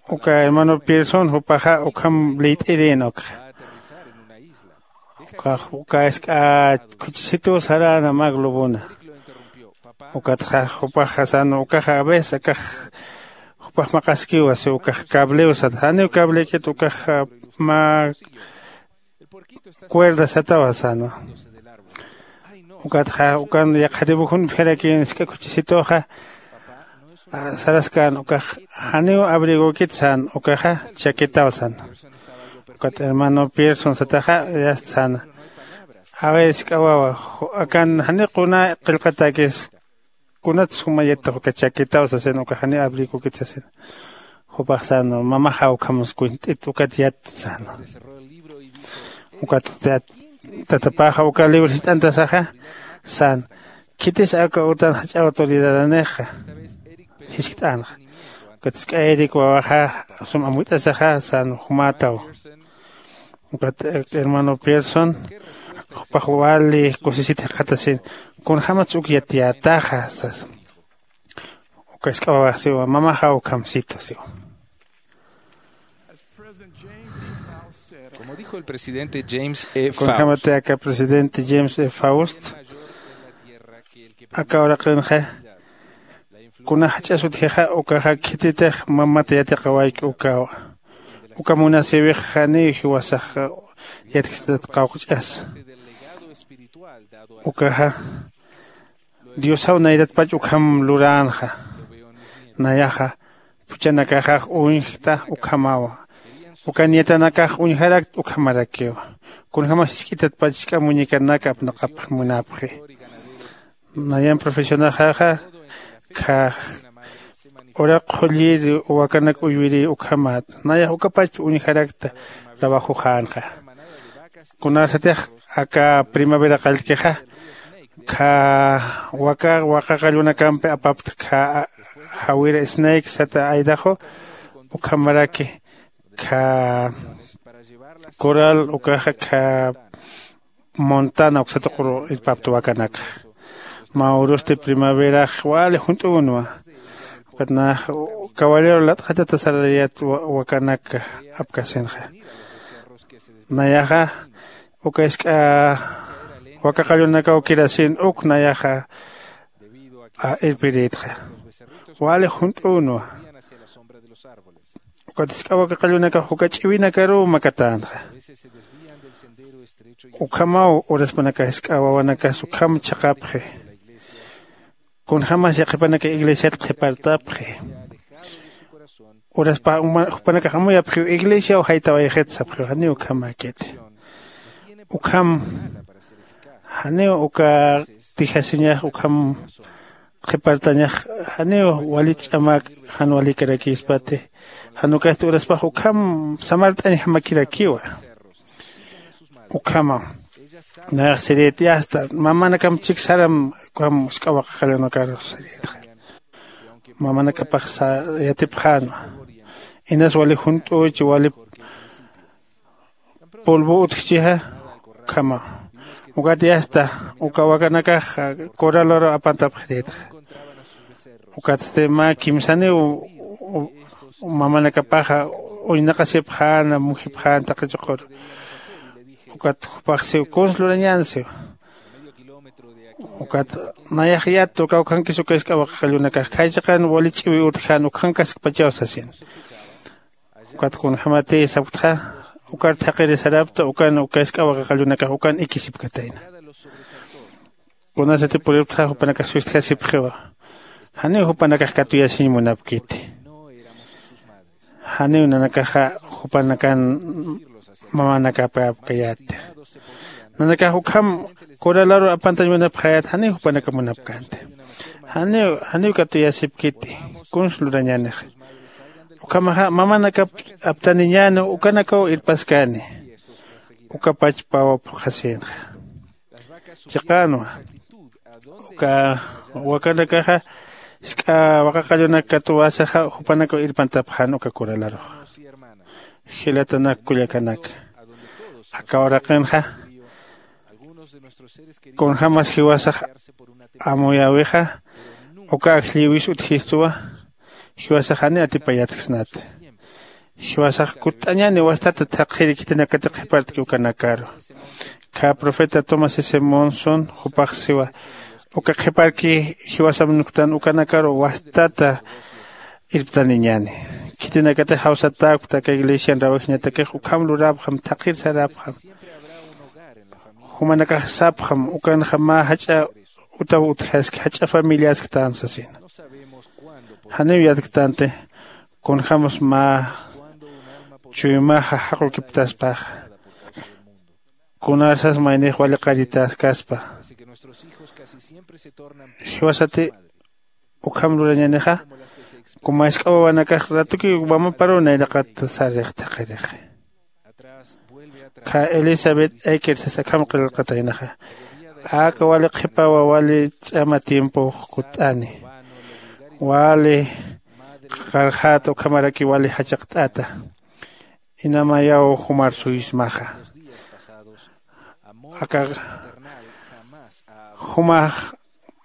uka hermano pierson jupaxa ukham liyt'irïn ukxa. Ukax uka isk'a khuchisituw saräna mä globona. Ukatxa jupaxa sänwa ukaxa a veces akax jupax maqaskiwa si ukax cablew sat janiw cableykit ukax mä cuerda satawa sänwa. Ukatxa ukan yaqha dibujon utjarakïn isk'a khuchisituxa Saraskan ukax janiw abrigokit san ukaxa chakitaw san. Ukat hermano Pearson sataxa yast san. A ver isk'awawa, akan jani quna qillqatakis kunat sumayat uka chakitaw sasin uka jani abrigokit sasin. Jupax san mamaxa ukham skwint'it ukat yat san. Ukat tatapaxa uka libro jist'antasaxa san. Khitis aka utan jach'a autoridadanixa jiskt'anxa. Ukat sk'ayrik wawaxa sum amuyt'asaxa san jumataw. Ukat hermano Pearson jupax wali kusisit jaqatasin. Kunjämatsa uk yatiyätaxa sasa. Uka isk'a wawax siwa mamaxa ukhamsitu siwa. Como dijo el presidente James E. Kunjämati aka presidente James E Faust aka uraqinxa kuna jach'as utjixa ukaxa khititix mamata yatiqawayki ukawa. Uka munasïwix janiw jiwasax yatkstat qawqch'asa. Ukaxa diosaw nayratpach ukham luränxa. Nayaxa phuchhanakaxax uñjkta ukhamawa. Uka niyatanakax uñjarakta ukhamarakiwa. Kunjämas jisk'itatpach jisk'a muñecanaka apnaqapx munapxi. Nayan profesionaxaxa kha uraq qhullïri wakanak uywirï ukhamat nayax ukapachpi uñjarakta trabajoxänxa. Kunasatix aka primavera qallkixa kha waka waqaqallunakampi apapta kha jawira snake sata aydaxu ukhamaraki kha coral ukaxa kha montana uksatuquru irpapta wakanakxa. Mä urusti primaverax wali junt'unwa. Ukat nax caballero lat'xatata sararayat wakanak apkasinxa. Nayaxa uka isk'a waka qallunakaw kirasin uk nayaxa irpirïtxa. Wali junt'unwa. Ukat isk'a waka qallunakax uka ch'iwinakaruw makatänxa. Ukhamaw uraspanakax isk'a wawanakas ukham chhaqapxi. Kunjämas yaqhipanaka iglesiat qhipartapxi. Uraspa jupanakax amuyapxiw iglesiaw jaytawayxit sapxiw janiw ukhamäkiti. Ukham janiw uka tijasiñax ukham qhipartañax janiw wali ch'amak jan walikarakïspati. Jan ukasti uraspax ukham samart'añjamakirakiwa. Ukhama nayax sirït yasta mamanakam chik saram ukham isk'a waqaqallunakaru sirïtxa. Mamanakapax yatipxänwa. Inas wali junt'üchi wali polvo utjchixa. Ukhama ukat yasta uka wakanakax coralaru apantapxirïtxa. Ukatsti mä kimsaniw mamanakapaxa uñnaqasipxäna mujipxäna taqi chuquru. Ukat jupax siw kuns lurañän siw. Ukat nayax yattu kawkhankis uka isk'a waqaqallunakax khaysa qan wali ch'iwi utjän ukhankaskpachaw sasin. Ukat kunjämati sapktxa ukar thaqhiri sarapta ukan uka isk'a waqaqallunakax ukan ikisipkatayna. Kunasati puripktxa jupanakax sustjasipxiwa. Janiw jupanakax katuyasiñ munapkiti. Janiw nanakaxa jupanakan mamanakapäpkayäti. Nanakax ukham coralaru apantañ munapxäyät janiw jupanaka munapkänti. Janiw janiw katuyasipkiti. Kuns lurañänix. Ukhamaxa mamanakap aptaniñäni ukanakaw irpaskani. Ukapach pawa phuqhasïnxa. Chiqänwa uka wakanakaxa jisk'a waqaqallunak katuwäsaxa jupanakaw irpantapxän uka coralaruxa. Jilatanak kullakanaka, aka uraqinxa kunjämas jiwasax amuyäwixa uka ajllïwis utjistuwa. Jiwasax jani atipayatksnati. Jiwasax kutt'añäni wastata thaqhiri khitinakati qhipartki ukanakaru. Kha profeta tomás s monson jupax siwa uka qhiparki jiwasam nuktan ukanakaru wastata irptaniñäni. Khitinakati jawsatäkpta aka iglesian rawajñatakix ukham luräpxam thaqhir saräpxam. Jumanakax sapxam ukanxa mä jach'a utaw utjaski jach'a familiasktam sasina. Janiw yatktanti kunjämas mä chuymaxa jaqukiptaspaxa, kunasas maynix wali qallitaskaspa. Jiwasati ukham lurañänixa, kumask'awawanakax ratuki mamaparuw nayraqat sarix thaqirixi. Kha Elizabeth Eker sas akham qillqataynaxa, aka wali qhipawa wali ch'ama tiempox kutt'ani, wali qarxäta ukhamaraki wali jachaqt'ata. Inamayaw jumar suysmaxa. Aka jumax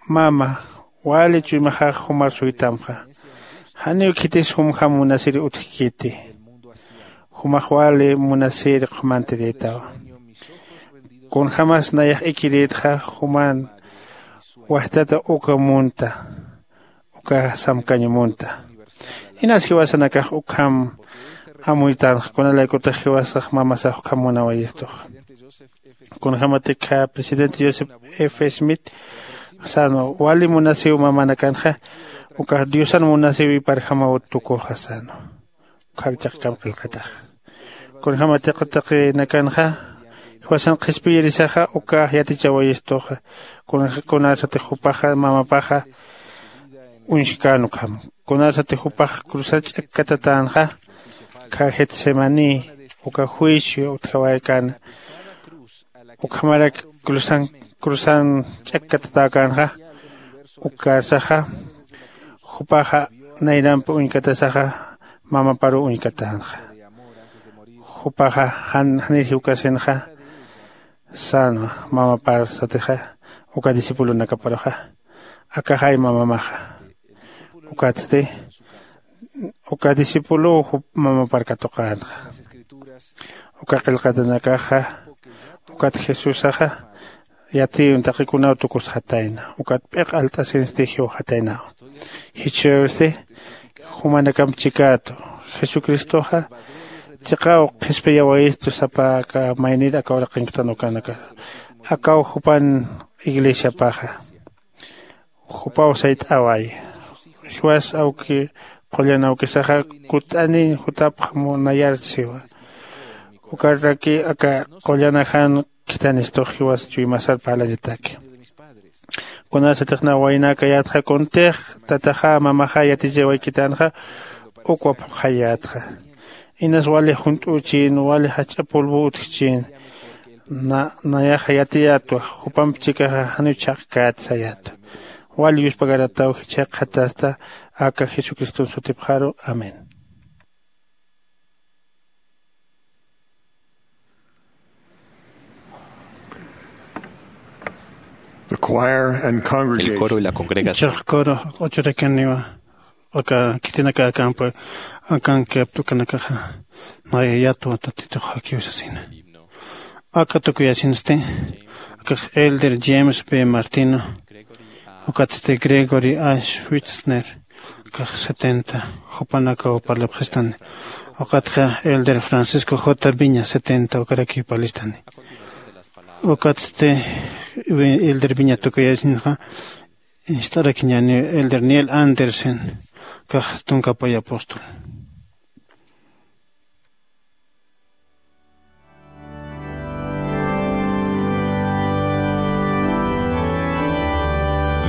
mama wali chuymaxax jumar suytamxa. Janiw khitis jumjam munasir utjkiti. Jumax wali munasir qhumantirïtawa. Kunjämas nayax ikirïtxa juman wajtata uka munta, uka samkañ munta. Inas jiwasanakax ukham amuytanxa, kunalaykutix jiwasax mamasax ukham munawayistuxa. Kunjämatikxa presidente Joseph F Smith sänwa, wali munasiw mamanakanxa ukax Diosan munasiwiparjamaw tukuxa sänwa. Ukhak chaqkam qillqataxa. Kunjämatiq taqinakanxa jiwasan qhispiyirisaxa ukax yatichawayistuxa. Kunasatix jupaxa mamapaxa uñskän ukham. Kunasatix jupax cruzar ch'akkatatänxa, kha Getsemaní uka juicio utjawaykäna. Ukhamarak cruzan cruzan ch'akkatatäkänxa, ukarsaxa jupaxa nayrampi uñkatasaxa mamaparuw uñkatänxa. Jupaxa jan janir jiwkasinxa sänwa mamapar satixa uka discipulonakaparuxa, akaxay mamamaxa. Ukatsti uka discipuluw jup mamapar katuqänxa. Uka qillqatanakaxa ukat Jesusaxa yatiyun taqikunaw tukusxatayna, ukat p'iq alt'asinsti jiwxataynaw. Jichhürsti jumanakamp chikätu, Jesucristoxa chiqaw qhispiyawayistu sapa aka maynir aka uraqinktan ukanaka. Akaw jupan iglesiapaxa. Jupaw sayt'away. Jiwas awki qullan awkisaxa kutt'aniñ jutapxam nayar siwa. Ukaraki aka qullanajan khithanistux jiwas chuymasar parlañataki. Kunasatix nawaynäkayätxa kuntix tataxa mamaxa yatichawaykitänxa ukwa phuqhayätxa. Inas wali junt'üchin, wali jach'a polvo utjchin, na nayaxa yatiyätwa, jupamp chikaxa janiw chhaqkät sayätwa. Wali yuspagarataw jichhaqxatasta aka Jesucriston sutipxaru. Amén. The choir and congregation. El coro y la congregación. Chaq coro q'uchurakaniwa aka khitinakäkampa akan keptukanakaxa nayayatwa tatituxakiw sasina. Aka tukuyasinsti akax elder James B Martino, ukatsti Gregory A Schwitzner, kax setenta jupanakaw parlapxistani. Ukatxa elder Francisco J Viña, setenta ukarakiw parlistani. Ukatsti elder Viña tukuyasinxa ist'arakiñani elder Neil Andersen, kax tunkapay apóstol.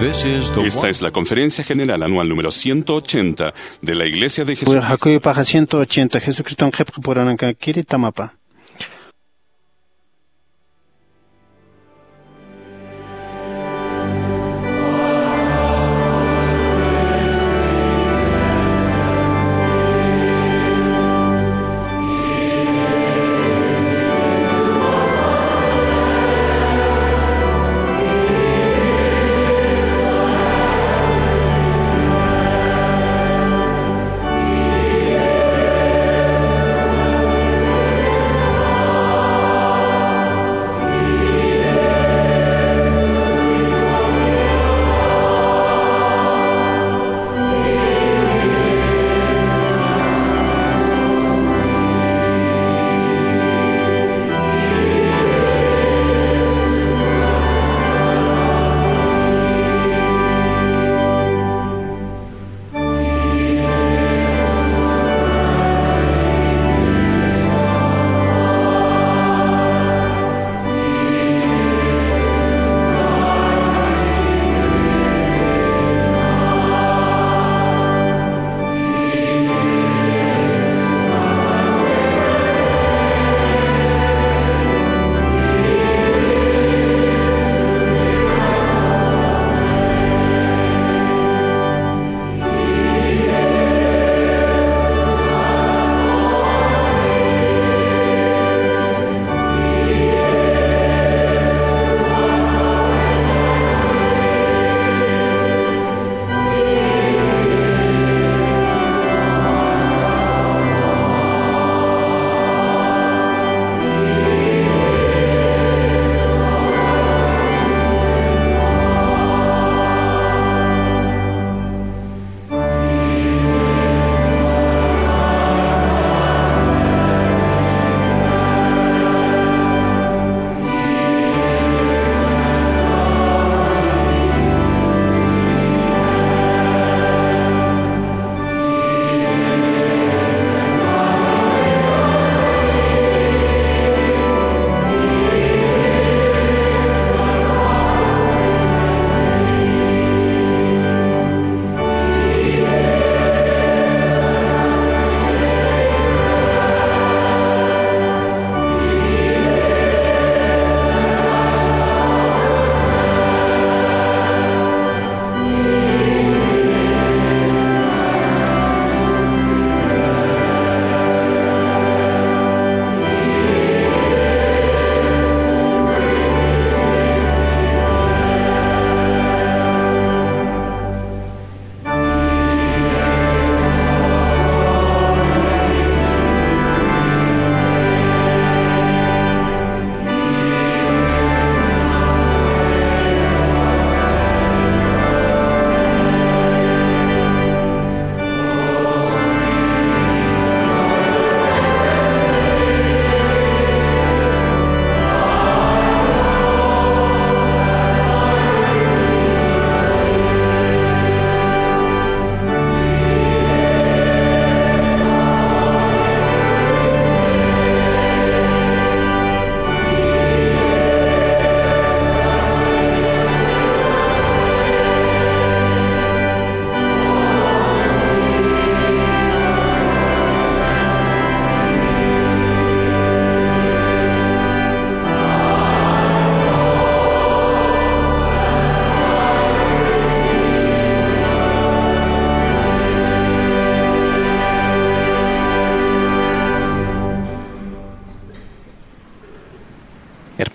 Esta es la conferencia general anual número ciento ochenta de la Iglesia de Jesucristo. Jakuy paxa ciento ochenta Jesucriston qhipqi purananka kiritamapa.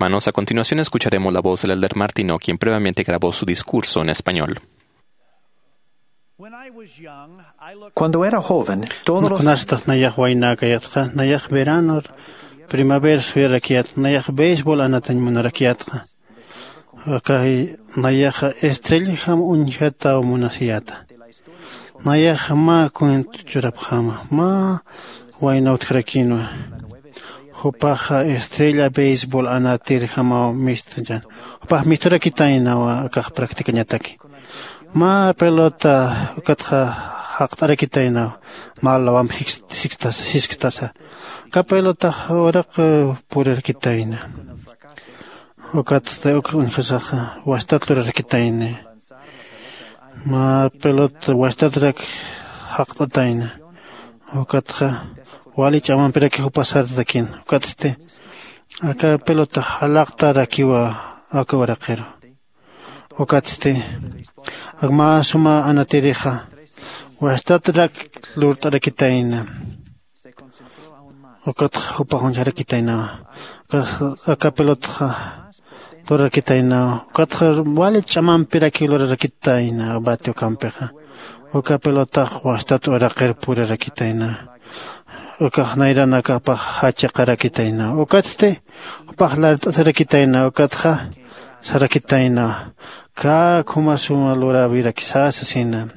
Hermanos, a continuación escucharemos la voz del elder Martino, quien previamente grabó su discurso en español. Cuando era joven, todos los Kunastax nayax waynäkayatxa, nayax veranor, primavera suyarakyat, nayax béisbol anatañ munarakyatxa. Akay nayaxa estrelljam uñjataw munasiyäta. Nayaxa mä cuento churapxäma, mä wayna utjarakinwa. Jupaxa estrella béisbol anatirjamaw mistchan. Jupax misturakitaynawa akax practicañataki. Mä pelota ukatxa jaqt'arakitaynaw, mä lawamp jisktasa. Aka pelotax uraq purarakitayna. Ukatsti uk uñjasaxa wastat lurarakitayna. Mä pelota wastatrak jaqt'atayna. Ukatxa wali ch'amampiraki jupa sartakin. Ukatsti aka pelota jalaqtarakiwa aka uraqiru. Ukatsti ak mä suma anatirixa wastatrak lurt'arakitayna. Ukatxa jupax uñjarakitaynawa. Aka pelotaxa lurarakitaynawa. Ukatxa wali ch'amampirakiw lurarakitayna bati ukampixa. Uka pelotax wastat uraqir purarakitayna. Ukax nayranakapax jachiqarakitayna. Ukatsti jupax lart'asarakitayna. Ukatxa sarakitayna, kä khuma suma luräwirakisa sasina.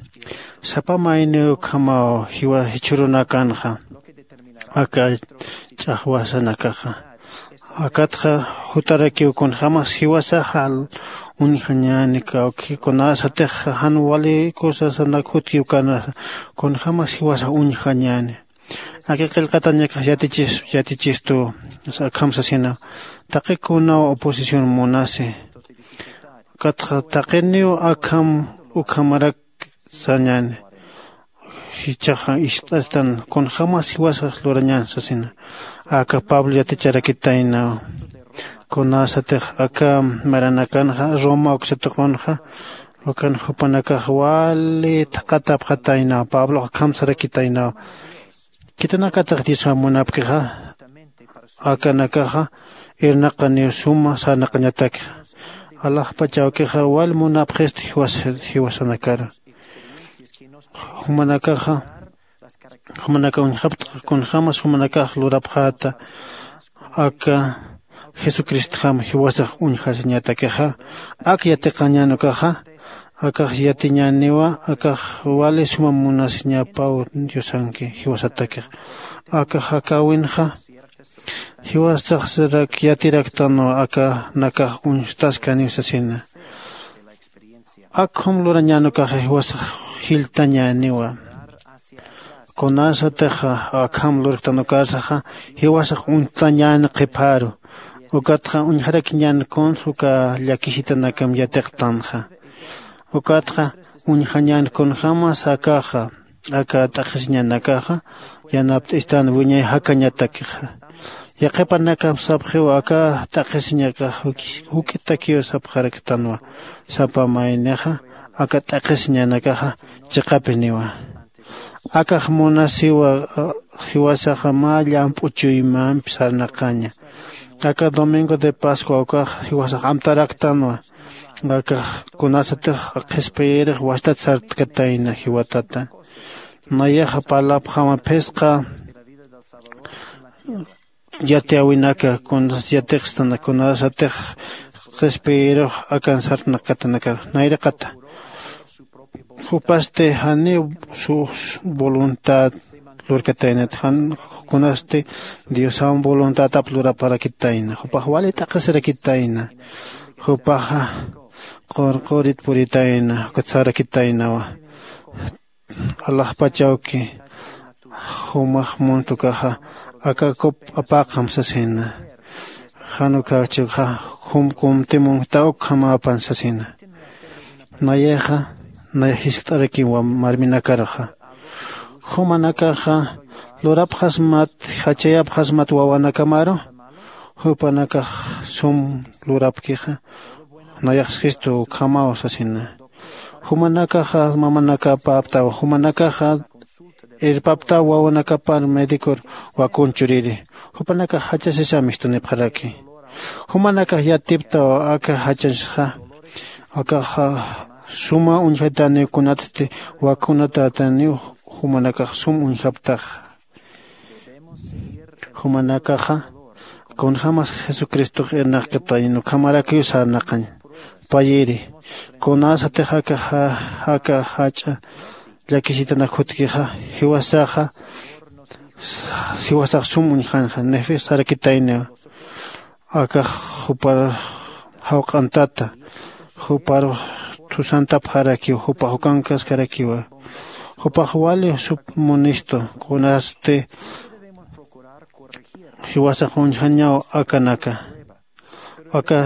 Sapa mayniw ukhamaw jiwa jichhürunakanxa aka ch'axwasanakaxa. Akatxa jutarakiw kunjämas jiwasaxa uñjañäni, kawki kunasatix jan wali cosasanak jutkiw kanasa kunjämas jiwasax uñjañäni. Aka qillqatañakax yatichistu, akham sasina. Taqi kunaw oposición munasi. Ukatxa taqiniw akham ukhamarak sañäni. Jichhaxa ist'astan kunjämas jiwasax lurañän sasina. Aka Pablo yaticharakitaynaw. Kunasatix aka maranakanxa Roma uksatuqunxa, ukan jupanakax wali thaqatapxataynaw. Pablox akham sarakitaynaw. Khitinakatix Diosam munapkixa, akanakaxa irnaqaniw suma sarnaqañatakxa. Alaxpach awkixa wal munapxisti jiwasanakaru. Jumanakaxa jumanaka uñjapxta kunjämas jumanakax lurapxäta. Aka jesucristjam jiwasax uñjasiñatakixa, ak yatiqañän ukaxa. Akax yatiñäniwa akax wali suma munasiñapaw diosanki jiwasatakix. Aka jakäwinxa jiwasaxsirak yatiraktanwa akanakax uñstaskaniw sasina. Akham lurañän ukaxa jiwasax jilltañäniwa. Kunasatix akham lurktan ukarsaxa jiwasax uñstañäni qhipharu. Ukatxa uñjarakiñän kuns uka llakisitanakam yatiqtanxa. Ukatxa uñjañän kunjämas akaxa aka t'aqhisiñanakaxa yanapt'istan wiñay jakañatakixa. Yaqhipanakap sapxiw aka t'aqhisiñakax juk'itakiw sapxaraktanwa. Sapa maynixa aka t'aqhisiñanakaxa chiqapiniwa. Akax munasiwa jiwasaxa mä llamp'u chuymampi sarnaqaña. Aka domingo de pascua ukax jiwasax amtaraktanwa. Akax kunasatix qhispiyirix wastat sartkatayna jiwatata. Nayaxa parlapxama phisqa yatiyäwinaka kunas yatiqstan kunasatix qhispiyirux akan sarnaqatanakar nayraqata. Jupasti janiw sus voluntad lurkataynat jan kunasti diosam voluntadap luraparakitayna jupax wali t'aqhisirakitayna. Jupaxa qurqurit puritayna ukatsarakitaynawa. Alaxpachawki jumax muntukaxa aka kup apaqam sasina. Jan ukachukxa jum kumtimun ta ukkhamapan sasina. Nayaxa nay jiskt'arakiwa marminakaruxa. Jumanakaxa lurapxasmat jachayapxasmat wawanakamaru. Jupanakax sum lurapkixa nayax jistu ukhamaw sasina. Jumanakaxa mamanakapaptaw jumanakaxa irpaptaw wawanakapar medicor wakun churiri. Jupanakax jachasisa mistunipxaraki. Jumanakax yatiptaw aka jachasxa. Akaxa suma uñjataniw kunatsti wakunatataniw. Jumanakax sum uñjaptaxa. Jumanakaxa kunjämas jesucristox irnaqkatañan ukhamarakiw sarnaqañ. Payiri kunasatix aka ja- aka jach'a llakisitanak jutkixa jiwasaxa jiwasax sum uñjanxa nefis sarakitayniw. Akax jupar jawq'antata jupar thusantapxarakiw jupax ukankaskarakiwa. Jupax wali sup munistu kunasti jiwasax uñjañaw akanaka. Aka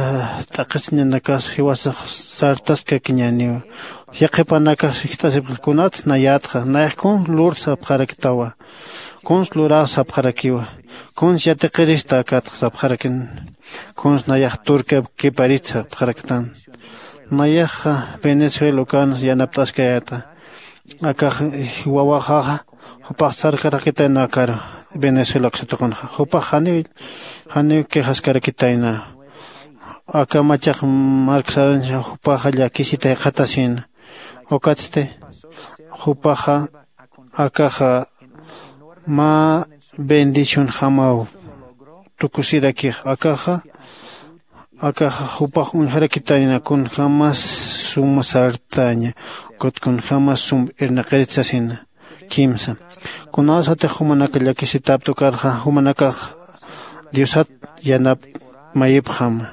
t'aqhisiñanakas jiwasax sartaskakiñäniwa. Yaqhipanakax jist'asipxi kunats nayätxa nayax kuns lur sapxaraktawa. Kuns luraw sapxarakiwa. Kuns yatiqirista akatxa sapxarakin. Kuns nayax turkiap kiparit sapxaraktan. Nayaxa venezuela ukan yanapt'askayäta. Akax wawaxaxa jupax sarkarakitayna akar venezuela aksatuqunxa jupax janiw janiw quejaskarakitayna. Aka machaq marksarancha jupaxa llakisita jiqatasïna. Ukatsti jupaxa akaxa mä bendicionjamaw tukusirakix akaxa akaxa jupax uñjarakitayna kunjämas suma sartaña ukat kunjämas sum irnaqirit sasina. Kimsa kunasatix jumanaka llakisitapta ukarxa jumanakax diosat yanap mayipxam.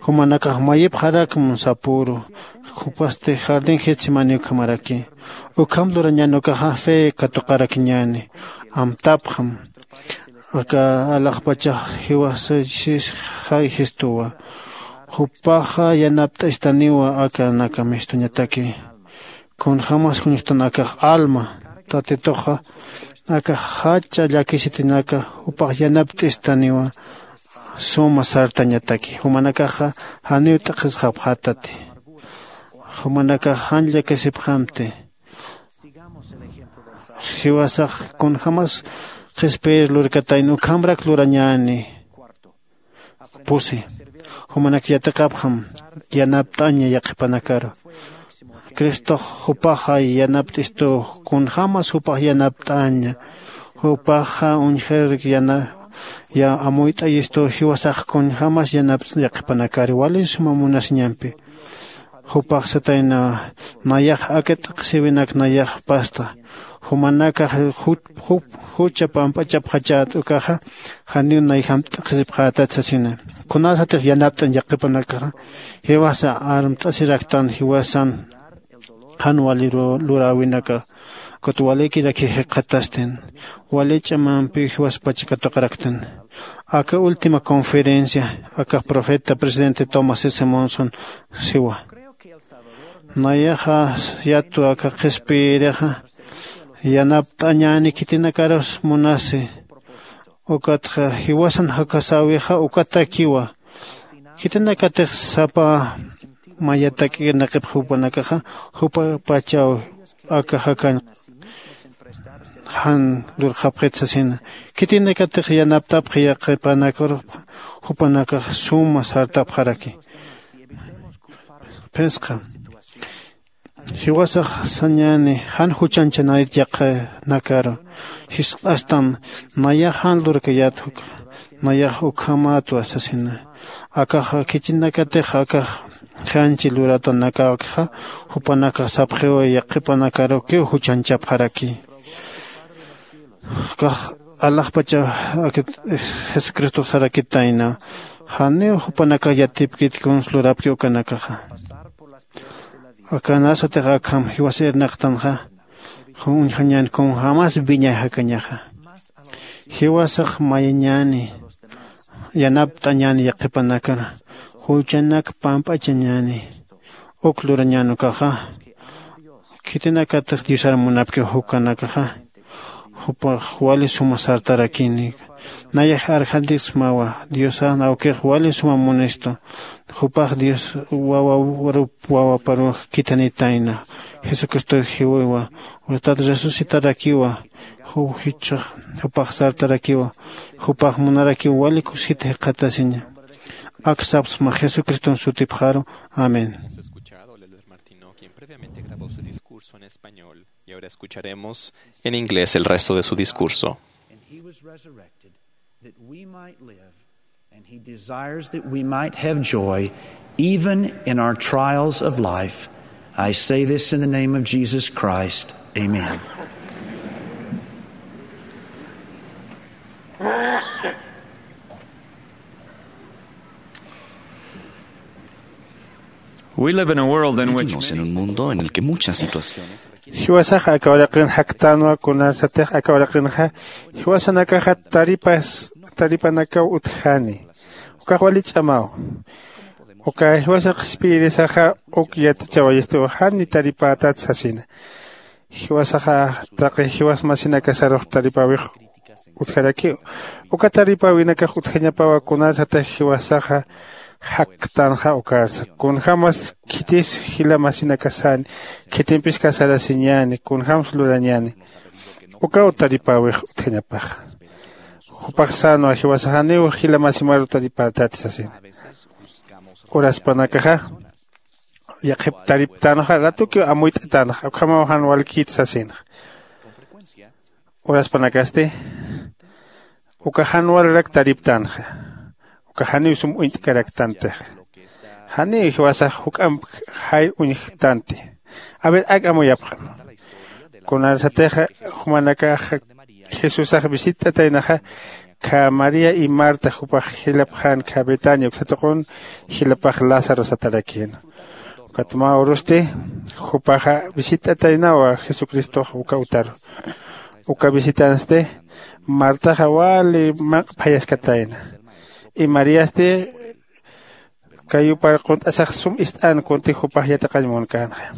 Jumanakax mayipxarakm sapüru jupasti jardín getsemani ukhamaraki. Ukham lurañäni ukaxa fe katuqarakiñäni amtapxam. Aka alaxpachax jiwasachis jay jistuwa. Jupaxa yanapt'istaniwa akanaka mistuñataki. Kunjämas juñstan akax alma tatituxa akax jach'a llakisitinaka jupax yanapt'istaniwa. Suma sartañataki jumanakaxa janiw t'aqhisxapxätati. Jumanakax jan llakisipxamti. Jiwasax kunjämas qhispiyir lurkatayna ukhamrak lurañäni. Pusi jumanak yatiqapxam yanapt'aña yaqhipanakaru. Cristox jupaxa yanapt'istuw kunjämas jupax yanapt'aña. Jupaxa uñjir yana ya amuyt'ayistuw jiwasax kunjämas yanapt'añ yaqhipanakar wali suma munasiñampi. Jupax satayna nayax aka t'aqhisiwinak nayax pasta. Jumanakax jucha pamp'achapxachät ukaxa janiw nayjam t'aqhisipxätat sasina. Kunasatix yanapt'añ yaqhipanakaxa jiwasa armt'asiraktan jiwasan jan wali luräwinaka ukat walikiraki jikxatastin wali ch'amampiw jiwaspacha katuqaraktan. Aka última conferencia aka profeta presidente tomás s monson siwa. Nayaxa yatwa aka qhispiyirixa yanapt'añäni khitinakarus munasi. Ukatxa jiwasan jakasäwixa ukatakiwa. Khitinakatix sapa mayatak'irnaqipxa jupanakaxa jupapachaw aka jakañ jan lurxapxit sasina. Khitinakatix yanaptapxi yaqipanakarupxa jupanakax suma sartapxaraki. Phisqa jiwasax sañäni jan juchanchanayt yaqinakaru. Jisq'astan nayax jan lurkayät jukxa nayax ukhamätwa sasina. Akaxa khitinakatix akax janchi luratanakawkixa jupanakax sapxiw yaqhipanakarukiw juchanchapxaraki. Kax alaxpacha jesucristox sarakitayna janiw jupanakax yatipkit kuns lurapki ukanakaxa. Akanasatix akham jiwasa irnaqtanxa uñjañän kunjämas wiñay jakañaxa. Jiwasax mayañäni yanapt'añäni yaqhipanakar juchanak pamp'achañäni. Uk lurañän ukaxa khitinakatix diosar munapkiw jukanakaxa jupax wali suma sartarakini. Nayax arjantiksmawa diosan awkix wali suma munistu. Jupax dios wawarup wawaparuw khithanitayna. Jesucristow jiwiwa. Utat resucitarakiwa. Juw jichhax jupax sartarakiwa. Jupax munarakiw wali kusit jikxatasiña. Aksapsma Jesucriston sutipxaru. Amén. Hemos escuchado al elder Martino, quien previamente grabó su discurso en español, y ahora escucharemos en inglés el resto de su discurso. And he was resurrected that we might live, and he desires that we might have joy even in our trials of life. I say this in the name of Jesus Christ. Amen. We live in a world in which Vivimos en un mundo en el que muchas situaciones requieren Jiwasax aka uraqin jaktänwa, kunarsatix aka uraqinxa jiwasanakaxa taripas taripanakaw utjani. Ukax wali ch'amaw. Uka jiwasa qhispiyirisaxa uk yatichawayistuw jan ni taripätat sasina. Jiwasaxa taqi jiwas masinakasarux taripäwix utjarakiw. Uka taripäwinakax utjañapawa kunarsatix jiwasaxa jaktänxa ukarsa. Kunjämas khitis jila masinakasani, khitimpis kasarasiñäni, kunjämsa lurañäni. Ukaw taripäwix utjañapaxa. Jupax sänwa jiwasax janiw jila masimaru taripätati sasina. Uraspanakaxa yaqhip tariptänxa ratukiw amuyt'tänxa, ukhamaw jan walkït sasinxa. Uraspanakasti uka jan walrak tariptänxa. Uka janiw sum uñt'karaktantixa. Janiw jiwasax juk'amp jayr uñjtanti. A ver, ak amuyapxam. Kunarsatixa jumanakax Jesusax visit'ataynaxa, kha María y Marta jupax jilapxän kha Betania uksa tuqun jilapax Lázaro satarakïna. Ukat mä urusti jupaxa visit'ataynawa Jesucristox uka utaru. Uka visitansti Martaxa wali manq'phayaskatayna. Y Mariasti kayupar qunt'asax sum ist'an kunti jupax yatiqañ munkänxa.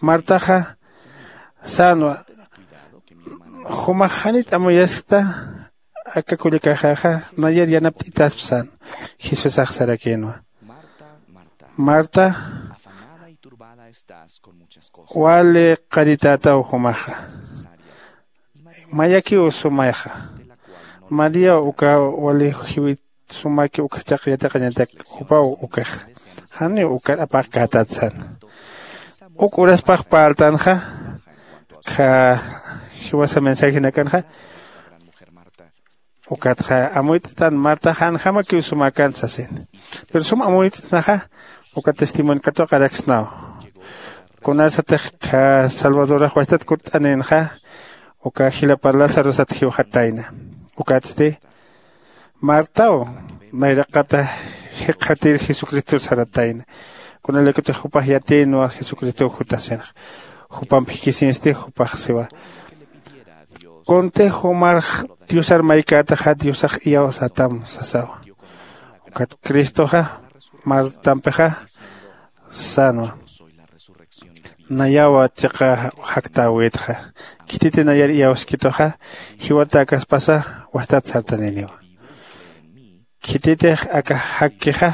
Martaxa sänwa, jumax janit amuyaskta aka kullakaxaxa nayar yanapt'itaspa sän. Jesusax sarakïnwa, Marta, wali qaritätaw jumaxa. Mayakiw sumayxa. María uka wali jiwit sumaki ukjachaq yatiqañatak jupaw ukax. Janiw ukar apaqkätat sän. Uk uraspax parltänxa kha jiwasa mensajinakanxa. Ukatxa amuyt'tan Marta janjamakiw sumäkän sasin. Pero sum amuyt'snaxa uka testimonio katuqaraksnaw. Kunarsatix kha Salvadorax wastat kutt'aninxa uka jilapar Lazarosat jiwxatayna. Ukatsti Martaw nayraqata jikxatir Jesucristor saratayna. Kunalaykutix jupax yatïnwa Jesucristow jutasinxa. Jupamp jikisinsti jupax siwa, kuntix jumar Diosar maykätaxa Diosax iyawsatam sasawa. Ukat Cristoxa Martampixa sänwa, nayawa chiqa jaktäwitxa. Khititi nayar iyawskituxa jiwatäkaspasa wastat sartaniniwa. Khititix aka jakkixa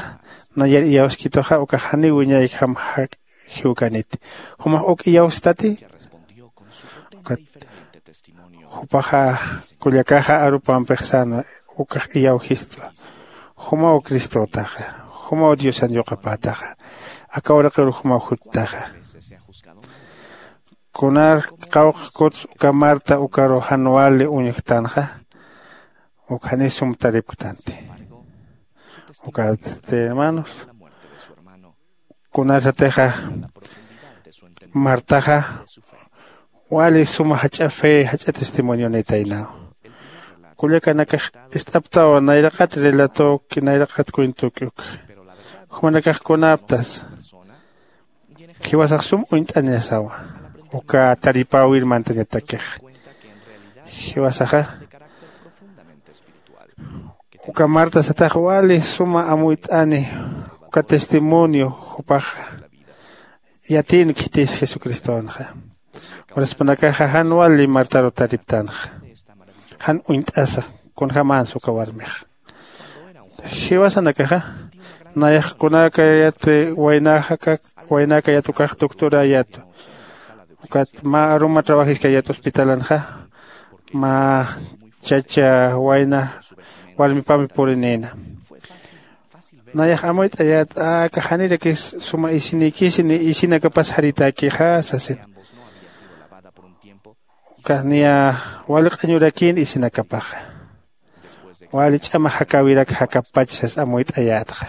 nayar iyawskituxa ukax janiw wiñaykjam jak jiwkaniti. Jumax uk iyawstati. Ukat jupaxa kullakaxa arupampix sänwa ukax iyawjistwa. Jumaw Cristotaxa. Jumaw Diosan yuqapätaxa. Aka uraqir jumaw juttaxa. Kunar qawqha kuts uka Marta ukaru jan wali uñjtanxa, uk janiw sum taripktanti. Ukatsti hermanos, kunarsatixa Martaxa wali suma jach'a fe, jach'a testimonionitaynaw. Kullakanakax ist'aptawa nayraqat relatoki, nayraqat cuentoki uk. Jumanakax kunaptas jiwasax sum uñt'añasawa uka taripäwir mantañatakix. Jiwasaxa uka Marta satax wali suma amuyt'ani uka testimonio jupaxa yatïn khitis Jesucristonxa. Uraspanakaxa jan wali Martaru tariptanxa. Jan uñt'asa kunjämänsa uka warmix. Jiwasanakaxa nayax kunäkayat waynäkayat ukax doctoräyatu. Ukat mä aruma trabajiskayat hospitalanxa mä chacha wayna warmipampi purinïna. Nayax amuyt'ayät aka janirakis suma isinïkisi ni isinakapas jaritäkixa sasin. Ukax niya wali q'añurakïn isinakapaxa, wali ch'ama jakäwirak jakapach sas amuyt'ayätxa.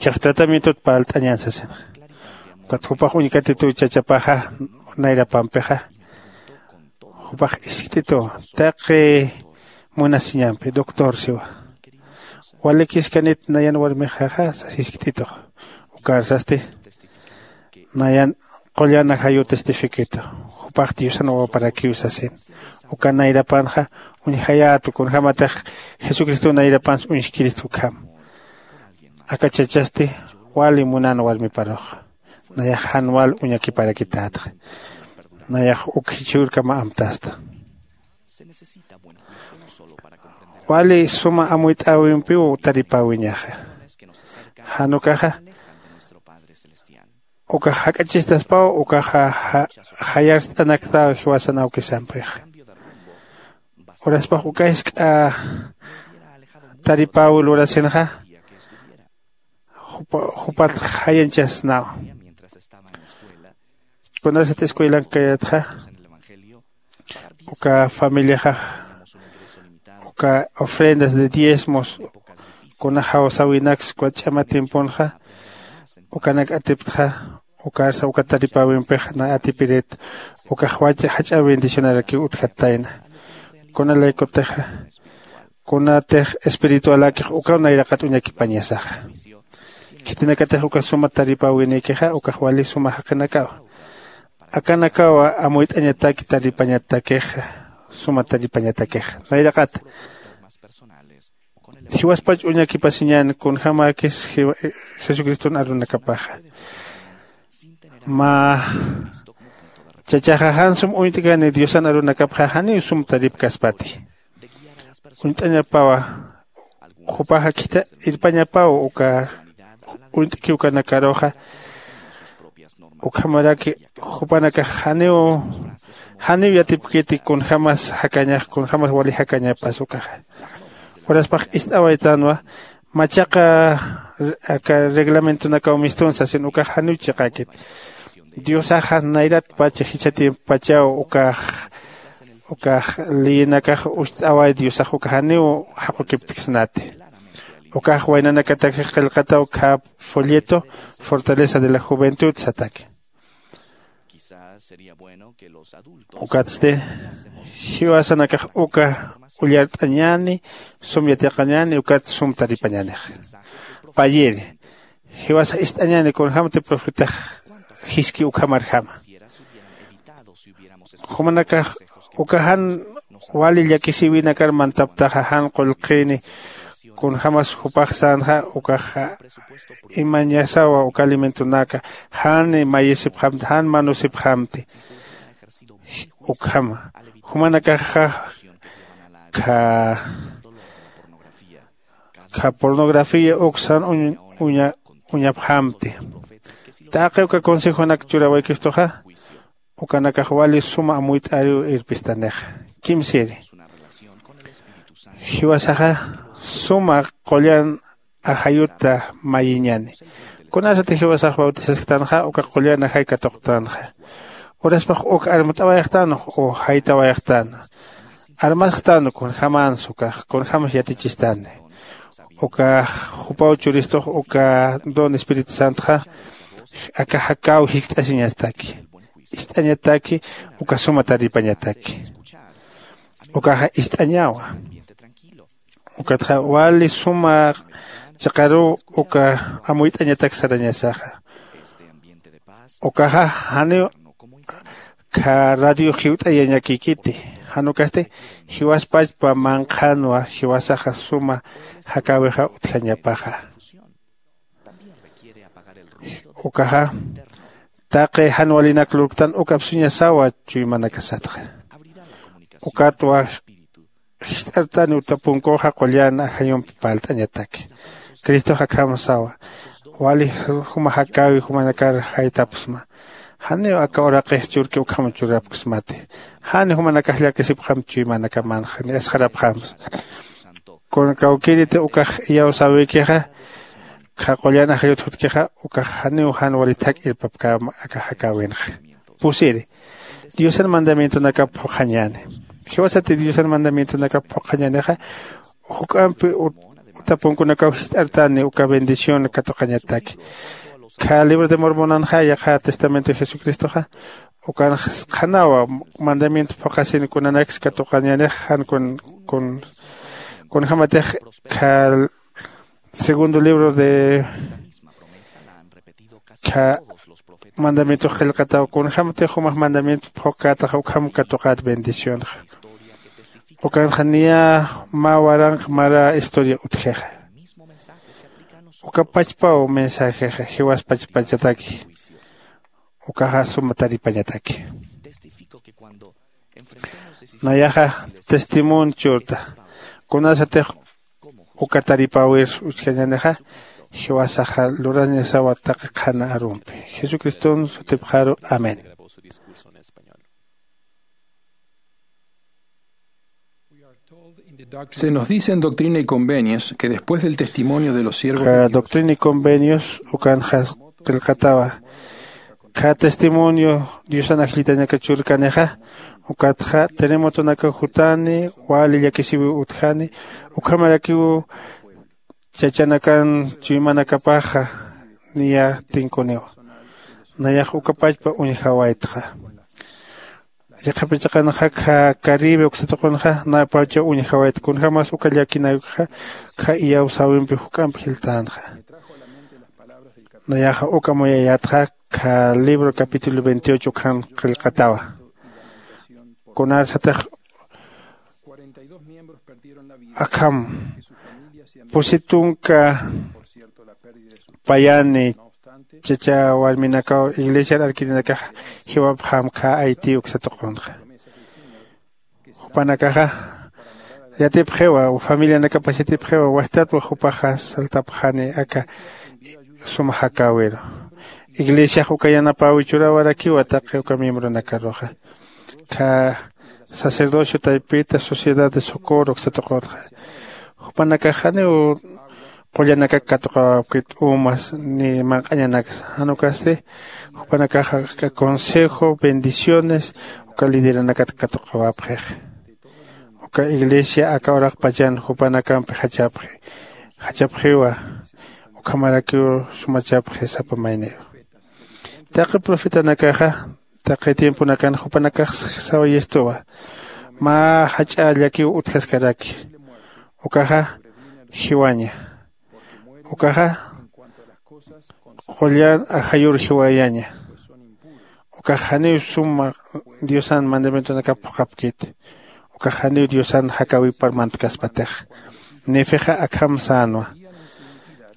Chax tratamientot parlt'añän sasinxa. Ukat jupax uñkatituw chachapaxa nayrapampixa, jupax jiskt'ituw taqi munasiñampi doctor siwa, walikiskanit nayan warmixaxa sas jiskt'itux. Ukarsasti nayan qullan ajayuw testifikitu, jupax diosan wawaparakiw sasin. Uka nayrapanxa uñjayätu kunjämatix jesucristow nayrapansa uñjkirista ukham. Aka chachasti wali munan warmiparux, nayax jan wal uñakiparakitätxa. Nayax uk jichhürkama amtasta. Wali suma amuyt'äwimpiw taripäwiñaxa. Jan ukaxa ukax jak'achistaspaw ukaxa jayarst'anaktaw jiwasan awkisampixa. Uraspax uka jisk'a taripäwi lurasinxa jupat jayanchasnaw. Kunasat escuelank kayatxa uka familiaxa uka ofrendas de diezmos kuna jawsäwinaksa uka ch'ama tiemponxa ukanak atiptxa. Ukarsa uka taripäwimpix na atipirit ukax jach'a bendicionarakiw utjattayna. Kuna laykutixa kunatix espiritualäkix ukaw nayraqat uñakipañasaxa. Khitinakatix uka suma taripäwinïkixa ukax wali suma jaqinakaw. Akanakawa amuyt'añataki taripañatakixa, suma taripañatakixa nayraqat. Jiwaspach uñakipasiñän kunjämäkis jesucriston arunakapaxa. Mä chachaxa jan sum uñt'kani diosan arunakapxa janiw sum taripkaspati. Uñt'añapawa jupaxa khitha irpañapaw uka uñt'kiw kanakaruxa. Ukhamaraki jupanakax janiw janiw yatipkiti kunjämas jakañax kunjämas wali jakañapas ukaxa. Uraspax ist'awaytänwa machaqa aka reglamentonakaw mistun sasin ukax janiw chiqäkit. Diosaxa nayratpacha jichha tiempopachaw ukax ukax leyinakax ucht'away diosax uka janiw jaqukiptksnati. Ukax waynanakataki qillqataw khä folleto fortaleza de la juventud sataki. Ukatsti jiwasanakax uka ullart'añäni sum yatiqañäni ukat sum taripañänix. Payiri jiwasax ist'añäni kunjämti profetax jiski ukhamarjama. Jumanakax uka jan wali llakisïwinakar mantaptaxa jan qullqini kunjämas jupax sänxa ukaxa imañasawa uka alimentonaka jan mayisipxamti jan manusipxamti. Ukhama jumanakaxa kha kha pornografía uksan uñapxamti. Taqi uka consejonak churawaykistuxa ukanakax wali suma amuyt'äriw irpistanixa. Kimsiri jiwasaxa suma qullan ajayuta mayiñani. Kunasati jiwasax bautisasktanxa uka qullan ajay katuqtanxa. Uraspax uk armt'awayaxtänux u jaytawayaxtän armasktan kunjämans ukax kunjämas yatichistani. Ukax jupaw churistux uka don espíritu santoxa aka jakäw jiskt'asiñastaki. Ist'añataki uka suma taripañataki. Ukaxa ist'añawa. Ukatxa wali suma chiqaruw uka amuyt'añatak sarañasaxa. Ukaxa janiw kha radio jiwt'ayañakïkiti. Jan ukasti jiwaspachpa manqhanwa jiwasaxa suma jakäwixa utjañapaxa. Ukaxa taqi jan walinak lurktan uk apsuñasawa chuymanakasatxa. Ukatwa jist'artani uta punkuxa qullan ajayumpi parlt'añataki. Cristox akham sawa wali juma jakäwi jumanakar jaytapxsma. Janiw aka uraqix churki ukham churapksmati. Jan jumanakax llakisipxam chuymanakamanxa ni asxarapxamsa. Kun kawkiriti ukax iyawsäwikixa, qha qullan ajayut jutkixa ukax janiw jan wali thak irpapkäma aka jakäwinxa. Pusiri, diosan mandamientonakap phuqhañäni. Jiwasati diosan mandamientonakap phuqhañänixa, juk'ampi utapunkunakaw jist'artani uka bendición katuqañataki. Kha libro de mormonanxa yaqha testamento jesucristoxa, ukan qhanawa mandamiento phuqhasin kunanaksa katuqañanix jan kun kun kunjämatix kha segundo libro de kha mandamiento qillqataw kunjämatix jumax mandamiento phuqkätaxa ukham katuqät bendicionxa. Ukanxa niya mä waranq mara historia utjixa. Uka pachpaw mensajexa jiwas pachpachataki. Ukaxa suma taripañataki. Nayaxa testimonio churta kunasatix uka taripäwir uchjañänixa, jiwasaxa lurañasawa taqi qhana arumpi. Jesucriston sutipxaru, amén. Se nos dice en Doctrina y Convenios que después del testimonio de los siervos de Dios, doctrina y convenios ukanxa qillqatawa. Kha testimonio diosan ajllitañaka churkanixa, ukatxa terremotonaka jutani, wali llakisiwi utjani, ukhamarakiw chachanakan chuymanakapaxa niya tinkuniwa. Nayax uka pachpa uñjawaytxa. Yaqhapachaqanxa kha caribe uksatuqunxa napacha uñjawayta kunjämas uka llakinayukxa kha iyawsäwimpi juk'amp jiltänxa. Nayaxa uka amuyayätxa kha libro capítulo veintiocho ukhan qillqatawa. Kunarsatix akham pusi tunka payani chacha warminakaw iglesiar arkirinakax jiwapxam kha ayti uksatuqunxa. Jupanakaxa yatipxiwa familianakapas yatipxiwa wastatwa jupaxa saltapxani aka suma jakäwiru. Iglesiax uka yanapäwi churäwarakiwa taqi uka miembronakaruxa. Kha sacerdocio taypita sociedad de socorro uksatuqutxa, jupanakax janiw qullanakak katuqawapkit umas ni manq'añanaksa. Jan ukasti jupanakaxa aka consejo bendiciones uka lideranakat katuqawapxix. Uka iglesia aka uraqpachan jupanakampi jachapxi jachapxiwa. Ukhamarakiw sumachapxi sapa mayniru. Taqi profetanakaxa taqi tiemponakan jupanakax sawayistuwa mä jach'a llakiw utjaskaraki. Ukaxa jiwaña. Ukaxa qullan ajayur jiwayaña. Ukax janiw suma diosan mandamientonakap phuqhapkiti. Ukax janiw diosan jakäwipar mantkaspatix. Nefixa akham sänwa.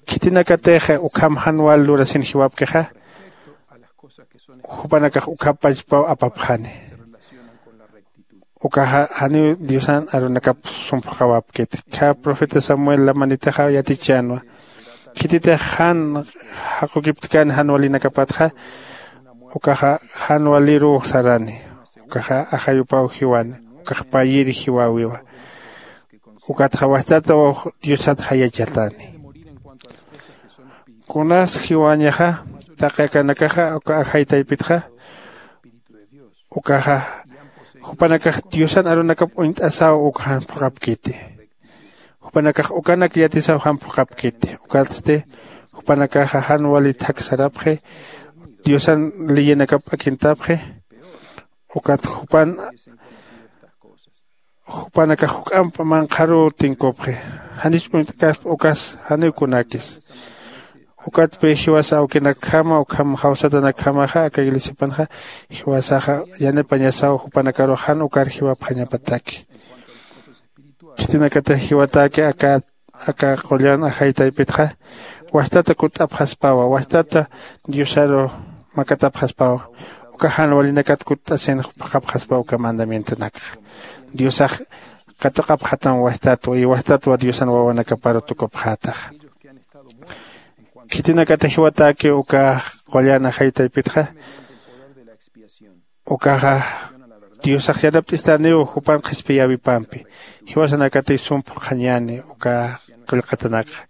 Khitinakatix ukham jan wal lurasin jiwapkixa, jupanakax ukhap pachpaw apapxani. Ukaxa janiw diosan arunakap sum phuqhawapkiti. Kha profeta samuel lamanitaxa yatichänwa. Khititix jan jaqukiptkan jan walinakapatxa, ukaxa jan waliruw sarani. Ukaxa ajayupaw jiwani. Ukax payir jiwäwiwa. Ukatxa wastataw diosat jayachatani. Kunas jiwañaxa taqi akanakaxa uka ajay taypitxa, ukaxa jupanakax diosan arunakap uñt'asaw uka jan phuqhapkiti. Jupanakax ukanak yatisaw jan phuqhapkiti. Ukatsti jupanakaxa jan wali thak sarapxi, diosan leyinakap p'akintapxi. Ukat jupan jupanakax juk'amp manqharuw tinkupxi. Janis uñt'kasp ukas janiw kunakis. Ukatpi jiwas awkinakjama ukham jawsatanakjamaxa aka iglesiapanxa jiwasaxa yanipañasaw jupanakarux jan ukar jiwapxañapataki. Khitinakatix jiwataki aka aka qullan ajay taypitxa, wastata kutt'apxaspawa wastata diosaru makatapxaspawa. Uka jan walinakat kutt'asin phuqhapxaspawa uka mandamientonakxa. Diosax katuqapxatam wastatwa y wastatwa diosan wawanakaparu tukupxätaxa. Khitinakatix jiwataki uka qullan ajay taypitxa, ukaxa Diosax yarapt'istaniw jupan qhispiyäwipampi. Jiwasanakatiy sum phuqhañäni uka qillqatanakxa.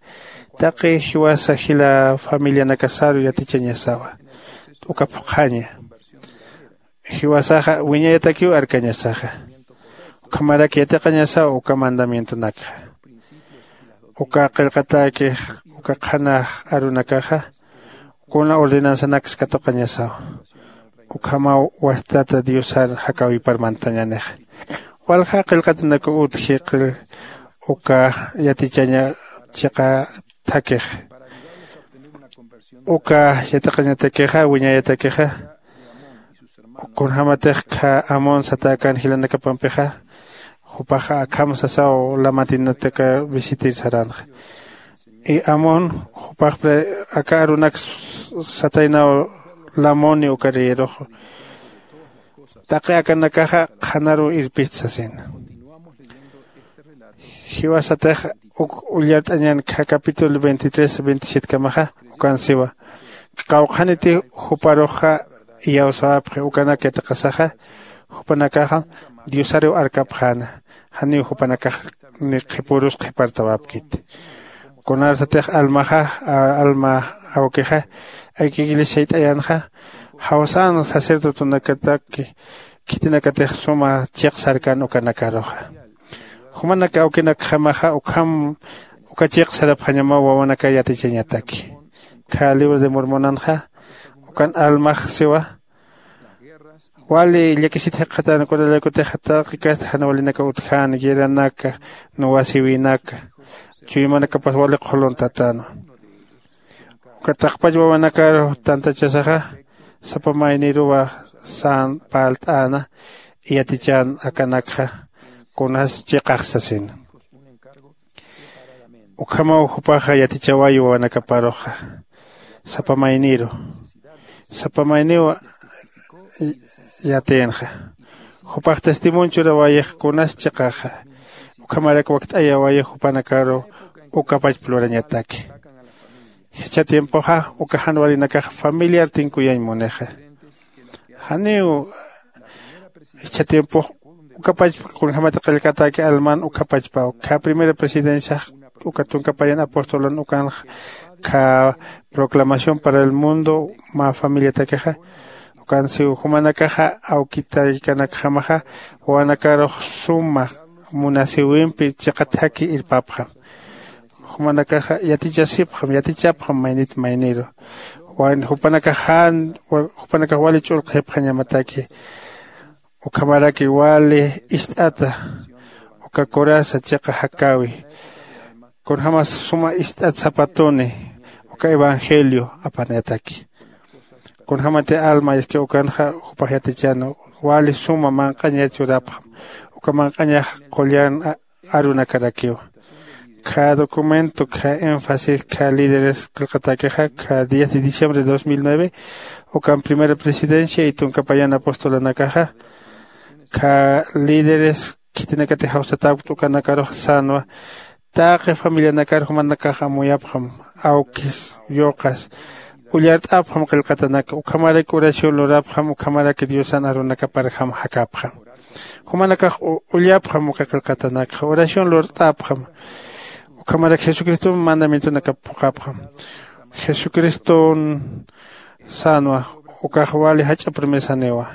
Taqi jiwasa jila familianakasaru yatichañasawa uka phuqhaña. Jiwasaxa wiñayatakiw arkañasaxa. Ukhamarak yatiqañasaw uka mandamientonakxa. Uka qillqatäkix uka qhanax arunakaxa kuna ordenanzanaks katuqañasaw. Ukhamaw wastata diosar jakäwipar mantañänixa. Walja qillqatanakuw utji qil uka yatichaña chiqa thakix. Uka yatiqañatakixa wiñayatakixa kunjämatix khä amón satäkän jilanakapampixa. Jupaxa akham sasaw lamatinataka visitir saränxa. Y amón jupaxpra aka arunak sataynaw lamoni uka reyerux. Taqi akanakaxa qhanaruw irpist sasina. Jiwasatix uk ullart'añän khä capítulo veintitrés veintisiete kamaxa ukan siwa. Qawqhaniti juparuxa iyawsäwapxi ukanak yatiqasaxa. Jupanakaxa diosariw arkapxäna. Janiw jupanakax ni qhipürus qhipartäwapkiti. Kunarsatix almaxa alma awkixa aka iglesia sayt'ayänxa jawsän sacerdotonakataki khitinakatix suma chiqsarkän ukanakaruxa. Jumanak awkinakjamaxa ukham uka chiqsarapxañamaw wawanaka yatichañataki. Khä libro de mormonanxa ukan almax siwa. Wali llakisit jikxatän kunalaykutix taqi kasta jan walinaka utjän guerranaka nuwasiwinaka chuymanakapas wali qhuluntatänwa. Uka taqpach wawanakar tantachasaxa sapa mayniruwa sän parlt'äna yatichän akanakxa kunas chiqax sasina. Ukhamaw jupaxa yatichawayi wawanakaparuxa sapa mayniru sapa mayniw yatïnxa. Jupax testimonio churawayix kunas chiqaxa ukhamarak wakt'ayawayix jupanakaru ukapachpa lurañataki. Jichha tiempoxa uka jan warinakax familiar tinkuyañ munixa. Janiw jichha tiempox ukapachpa kunjämati qillqatäki alman ukapachpaw khä primera presidenciax uka tunka payan apostolan ukanx khä proclamación para el mundo mä familiatakixa. Ukan siw jumanakaxa awkitaykanakjamaxa wawanakarux suma munasiwimpi chiqa thaki irpapxam. Jumanakaxa yatichasipxam yatichapxam maynit mayniru. Jupanakax jan jupanakax wali ch'ulqhipxañamataki. Ukhamaraki wali ist'ata uka coraza chiqa jakäwi kunjämas suma ist'at sapatuni uka evangelio apanayataki. Kunjämati alma iski ukanxa jupax yatichäna wali suma manq'aña churapxam uka manq'añax qullan arunakarakiw. Khä documento khä énfasis khä líderes qillqatäkixa khä diez de diciembre de dos mil nueve ukan primera presidencia y tunka payan apostolanakaxa khä líderes khitinakatix jawsatäkta ukanakarux sänwa. Taqi familianakar jumanakax amuyapxam awkis yuqas ullart'apxam qillqatanaka ukhamarak oración lurapxam ukhamarak diosan arunakaparjam jakapxam. Jumanakax ullapxam uka qillqatanakxa oración lurt'apxam. Ukhamarak jesucristom mandamientonakap phuqhapxam. Jesucriston sänwa ukax wali jach'a promesaniwa.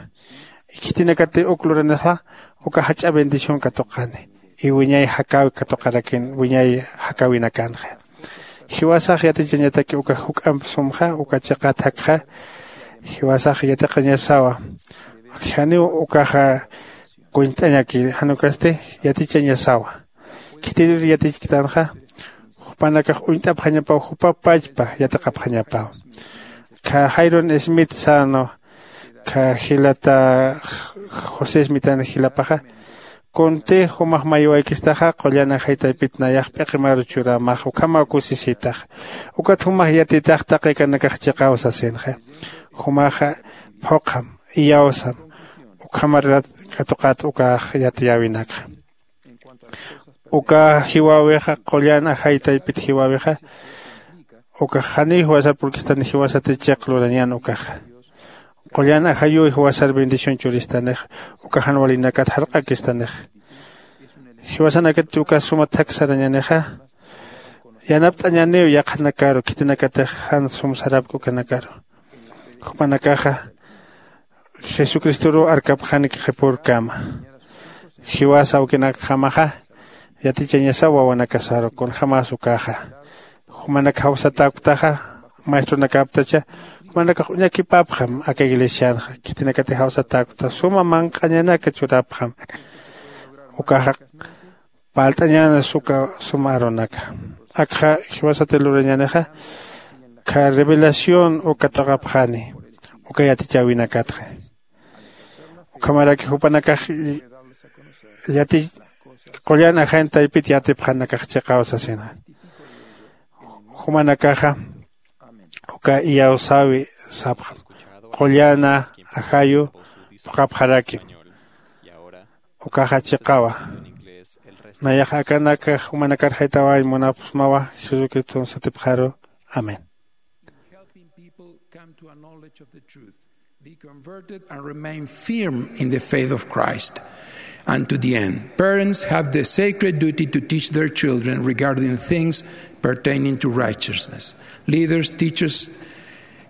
Khitinakati uk luranisa uka jach'a bendición katuqani. Iwiñay jakäwi katuqarakin wiñay jakäwinakanxa. Jiwasax yatichañataki uka juk'amp sumxa uka chiqat jakxa. Jiwasax yatiqañasawa. Janiw ukaxa kuñt'añaki janukasti yatichañasawa. Khitir yatichktanxa jupanakax uñt'apxañapaw jupapachpa yatiqapxañapaw. Kha jairon smith sano kha jilata josé smithan jilapaxa. Kunti jumax maywaykistaxa qullan ajaytaypit nayax p'iqimaru churamax ukhamaw kusisitax. Ukat jumax yatitax taqikanakax chiqaw sasinxa. Jumaxa phuqham iyawsam ukhamarat katuqat ukax yatiyäwinakxa. Uka jiwäwixa qullan ajaytaypit jiwäwixa ukax janiw jiwasar purkistan jiwasati chiq lurañän ukaxa. Qullan ajayuw jiwasar bendición churistanixa. Uka jan walinakat jarq'akistanixa. Jiwasanakati uka suma thaksarañanixa. Yanapt'añaniw yaqhanakaru khitinakatix jan sum sarapki ukanakaru. Jupanakaxa jesucristoruw arkapxani qhipürkama. Jiwasa awkinakjamaxa yatichañasaw wawanakasaru kunjämas ukaxa. Jumanak jawsatäktaxa maestronakaptacha jumanakax uñakipapxam aka iglesianxa khitinakatix jawsatäkta suma manq'añanaka churapxam. Ukaxa parlt'añänas uka suma arunaka. Akxa jiwasati lurañänixa kha revelación uka t'aqapxani uka yatichäwinakatxa. Ukhamaraki jupanakax yati qullan ajañ taypit yatipxanakax chiqaw sasina. Jumanakaxa uka iyawsäwi sapxam qullana ajayu phuqhapxarakim. Ukaxa chiqawa. Nayax akanaka jumanakar jaytawañ munapxsmawa jesucriston satipxaru. Amén. Helping people come to a knowledge of the truth, be converted, and remain firm in the faith of Christ. And to the end, parents have the sacred duty to teach their children regarding things pertaining to righteousness. Leaders, teachers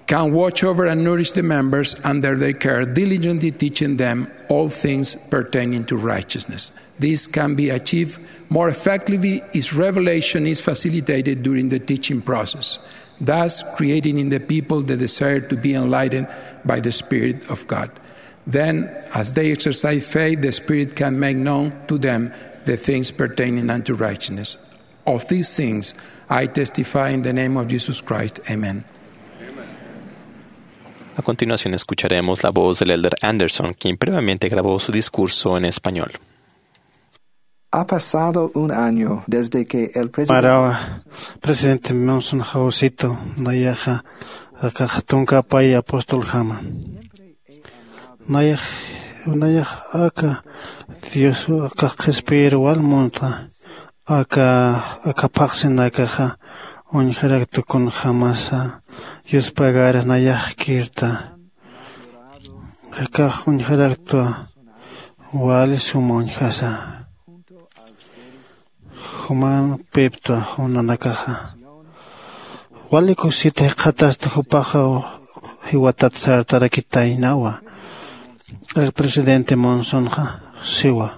can watch over and nourish the members under their care, diligently teaching them all things pertaining to righteousness. This can be achieved more effectively if revelation is facilitated during the teaching process, thus creating in the people the desire to be enlightened by the Spirit of God. Then, as they exercise faith, the Spirit can make known to them the things pertaining unto righteousness. Of these things I testify in the name of Jesus Christ. Amen. A continuación escucharemos la voz del elder Anderson, quien previamente grabó su discurso en español. Ha pasado un año desde que el presidente Marawa, presidente Monson jawsito, nayaxa, akax tunka pay apostol jama. Nayax, nayax aka Dios akax qhispiyir wal munta, aka, aka phaxsinakaxa, uñjaraktu kunjämasa, yuspagar nayax kirta. Akax uñjaraktwa wali suma uñjasa. Juman piptwa junanakaxa. Wali kusita jikxatasta jupaxa jiwatat sartarakitaynawa. El presidente Monsonxa siwa.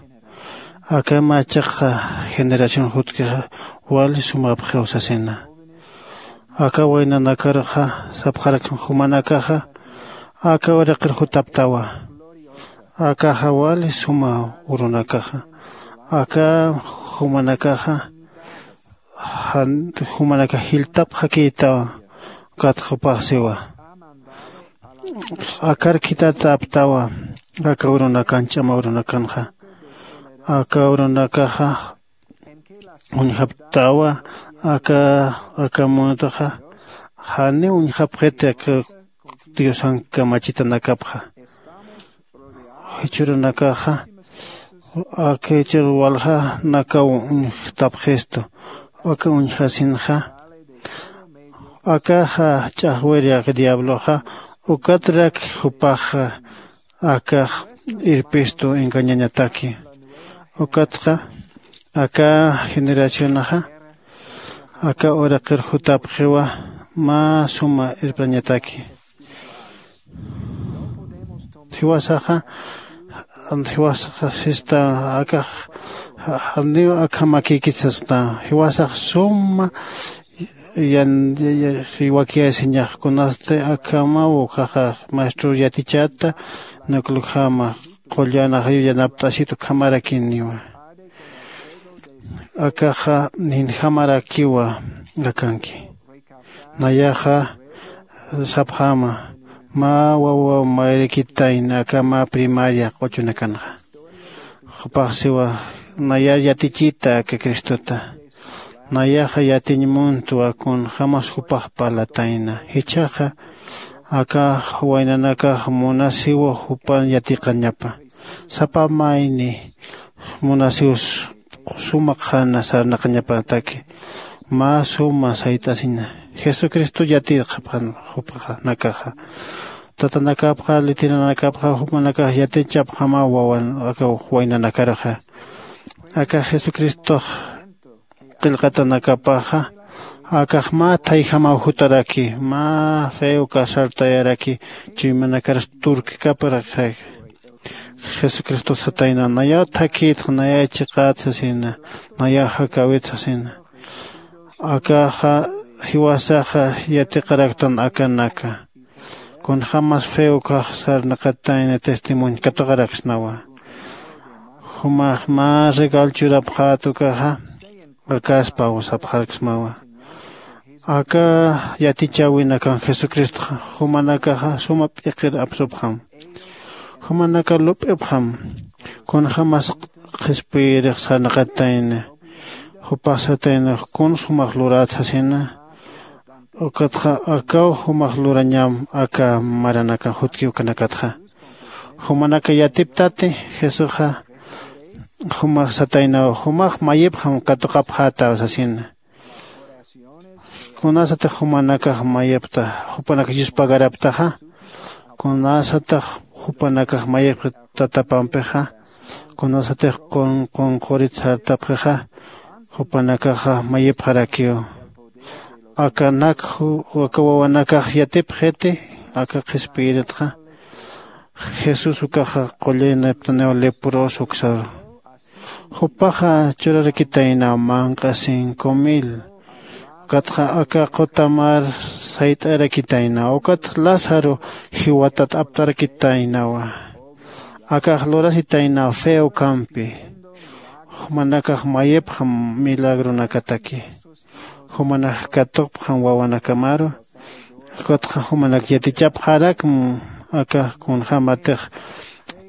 Aka machaqa generación jutkixa wali sumapxiw sasina. Aka waynanakarxa sapxarak jumanakaxa aka uraqir jutaptawa. Akaxa wali suma urunakaxa. Aka jumanakaxa jan jumanakax jiltapxakïtawa. Katxapaxsiwa. Akar khitataptawa aka urunakan ch'ama urunakanxa. Aka urunakaxa uñjaptawa aka aka muntaxa janiw uñjapxiti aka diosan kamachitanakapxa. Jichhürunakaxa aka jichhür walja nakaw uñjtapxistu aka uñjasinxa. Akaxa ch'axwiri aka diabloxa ukatrak jupaxa akax irpistu engañañataki. Ukatxa aka generacionaxa aka uraqir jutapxiwa mä suma irprañataki. Jiwasaxa jiwasaxa sista akax janiw akhamakïkit sasta. Jiwasax suma yan wakyasiñax kunasti akhamaw ukaxa maestro yatichata nuklujama qullan ajayu yanapt'asit ukhamarakiniwa. Akaxa ninjamarakiwa akanki. Nayaxa sapxama mä wawa mayrikitayna aka mä primaria q'uchunakanxa. Jupax siwa nayar yatichita aka cristota. Nayaxa yatiñ muntwa kunjämas jupax parlatayna jichhaxa aka waynanakax munasiwa jupan yatiqañapa. Sapa mayni munasiw suma qhana sarnaqañapataki mä suma sayt'asina. Jesucristo yatiqapxan jupxanakaxa. tatanakapxa litiranakapxa jumanakax yatichapxama wawan aka waynanakaruxa. Aka jesucristox qillqatanakapaxa akax mä thayjamaw jutaraki mä feo kasartayaraki. Chuymanakarus turkikaparaki jesucristo satayna nayaw thakïtx nayaw chiqät sasina nayaw jakäwit sasina. Akaxa jiwasaxa yatiqaraktan akanaka kunjämas feo ukax sarnaqatayna testimonio katuqaraksnawa. Jumax mä regal churapxät ukaxa akaspaw sapxarksmawa. Aka yatichäwinakan jesucristoxa jumanakaxa suma p'iqir apsupxam. Jumanaka lup'ipxam kunjämas qhispiyirix sarnaqatayna. Jupax satayna kuns jumax lurät sasina. Ukatxa akaw jumax lurañam aka maranakan jutki ukanakatxa. Jumanaka yatiptati jesusxa jumax sataynaw jumax mayipxam katuqapxätaw sasina. Kunasatix jumanakax mayipxta jupanakax yuspagaraptaxa. Kunasatix jupanakax mayipxta tatapampixa kunasatix qunqurit sartapxixa jupanakaxa mayipxarakiw. Akanak aka wawanakax yatipxiti aka qhispiyiritxa. Jesús ukaxa qulliniptaniw leproso uksaru. Jupaxa churarakitaynaw manq'a cinco mil. Ukatxa aka qutamar sayt'arakitaynaw ukat lázaro jiwatat aptarakitaynawa. Akax lurasitaynaw feo kampi. Jumanakax mayipxam milagronakataki. Jumanak katuqpxam wawanakamaru. Ukatxa jumanak yatichapxarakm aka kunjämatix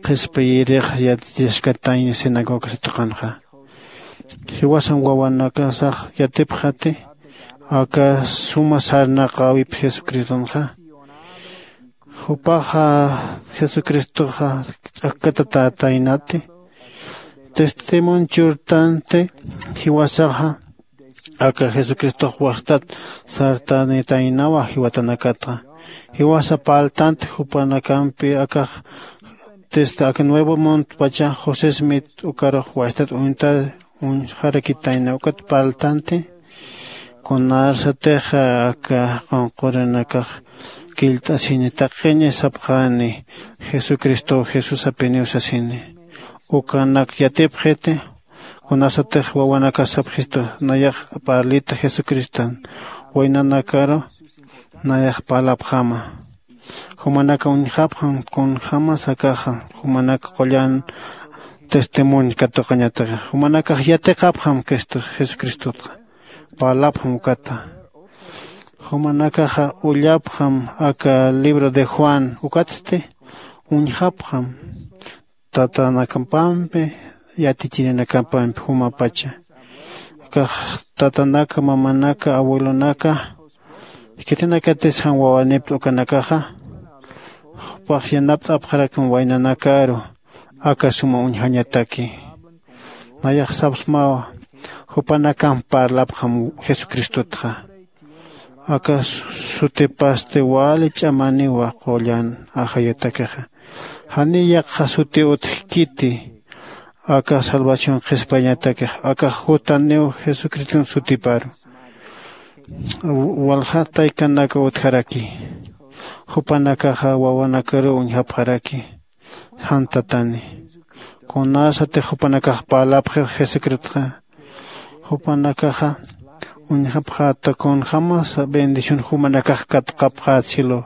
qhispiyirix yatichaskatañ sinagogas tuqanxa. Jiwasan wawanakasax yatipxati aka suma sarnaqäwip jesucristonxa. Jupaxa jesucristoxa ch'akkatatätaynati. Testimonio churtanti jiwasaxa aka jesucristox wastat sartanitaynawa jiwatanakatxa. Jiwasa parltanti jupanakampi akax desde aka nuevo muntpacha josé smith ukarux wastat uñta uñjarakitayna ukat parltanti. Kunarsatix aka qunqurinakax killt'asini taqiñi sapxani jesucristow jesusapiniw sasini. Ukanak yatipxiti. Kunasatix wawanakas sapxistu nayax parlita jesucristan waynanakaru nayax parlapxama. Jumanaka uñjapxam kunjämas akaxa jumanaka qullan testimonio katuqañatix jumanakax yatiqapxam cristo jesucristotxa. Parlapxam ukata. Jumanakaxa ullapxam aka libro de juan ukatsti uñjapxam tatanakapampi yatichirinakapampi jumapacha. Akax tatanaka mamanaka abuelonaka khitinakatis jan wawanipta ukanakaxa jupax yanapt'apxarakam waynanakaru aka suma uñjañataki. Nayax sapsmawa jupanakamp parlapxam jesucristotxa. Aka sutipasti wali ch'amaniwa qullan ajayatakixa. Janiw yaqha suti utjkiti aka salvación qhispayñatakix aka jutaniw jesucriston sutiparu. Walja taykanaka utjaraki. Jupanakaxa wawanakaruw uñjapxaraki. Jan tatani kunasatix jupanakax parlapxi jesucristxa jupanakaxa uñjapxäta kunjämasa bendición jumanakax katuqapxät cielo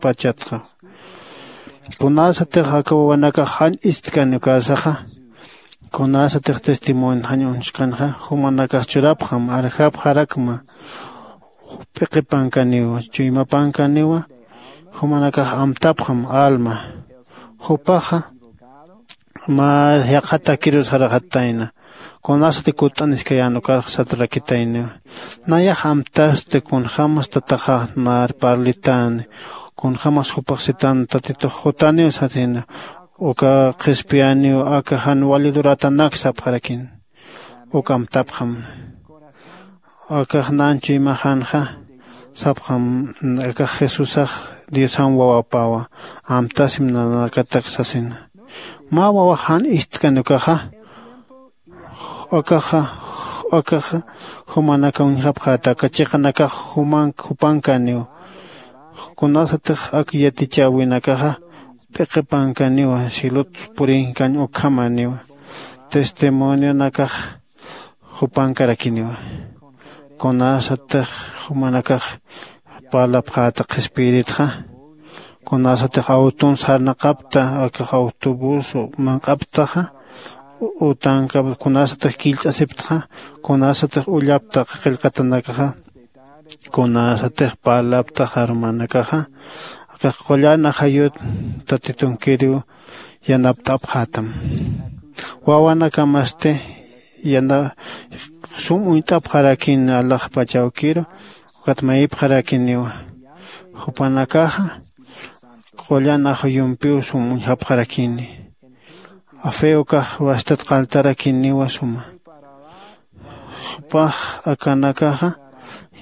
pachatxa. Kunasatix aka wawanakax jan ist'kani ukarsaxa kunasatix testimonio jan uñskanxa jumanakax churapxam arjapxarakma. P'iqipankaniwa chuymapankaniwa jumanakax amtapxam alma. Jupaxa mä yaqha takiru sarxatayna kunasati kutt'aniskayän ukarx satrakitayniwa. Nayax amtasti kunjämas tataxax nar parlitäni kunjämas jupax sitan tatitux jutaniw satina. Uka qhispiyäniw aka jan wali luratanak sapxarakin. Uk amtapxam akax nanchu imaxanxa sapxam. Akax jesusax Diosam wawapawa, amtasim nanakatak sasina. Mä wawax jan ist'kan ukaxa, akaxa akaxa jumanaka uñjapxäta, aka chiqanakax juman jupankaniw. Kunasatix ak yatichäwinakaxa p'iqipankaniwa, cielot purinkañ ukhamaniwa. Testimonionakax jupankarakiniwa. Kunasatix jumanakax parlapxäta qhispiyiritxa, kunasatix awtun sarnaqapta, akax autobús manq'aptaxa, utanka kunasatix killt'asiptxa, kunasatix ullapta qillqatanakaxa, kunasatix parlaptaxa hermanakaxa, akax qullan ajayut tatitunkiriw yanapt'apxätam. Wawanakamasti yana sum uñt'apxarakin alaxpachawkiru, ukat mayipxarakiniwa. Jupanakaxa qullan ajayumpiw sum uñjapxarakini. Afeokax wastat qaltarakiniwa suma. Jupax akanakaxa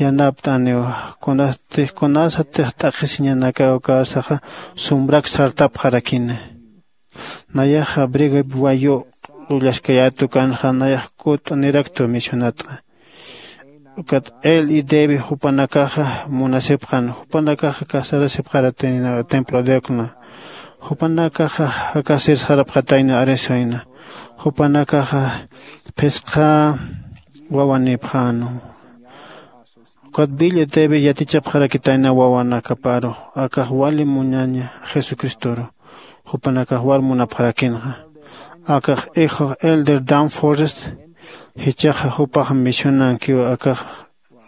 yanapt'aniwa, kunasatix kunasatix t'aqhisiñanakaw karsaxa sumbrak sartapxarakina. Nayaxa brigab wayu ullaskayätukanxa nayax kut'aniraktu misionatxa. Ukat él y debi jupanakaxa munasipxan, jupanakaxa casarasipxaratayna templo diokna. Jupanakaxa jakasir sarapxatayna arisuyna. Jupanakaxa phisqa wawanipxänu. Ukat billa debi yatichapxarakitayna wawanakaparu, akax wali muñaña jesucristoru. Jupanakax war munapxarakinxa. Akax hijo elder dan forrest, jichaxa jupax misionankiw akax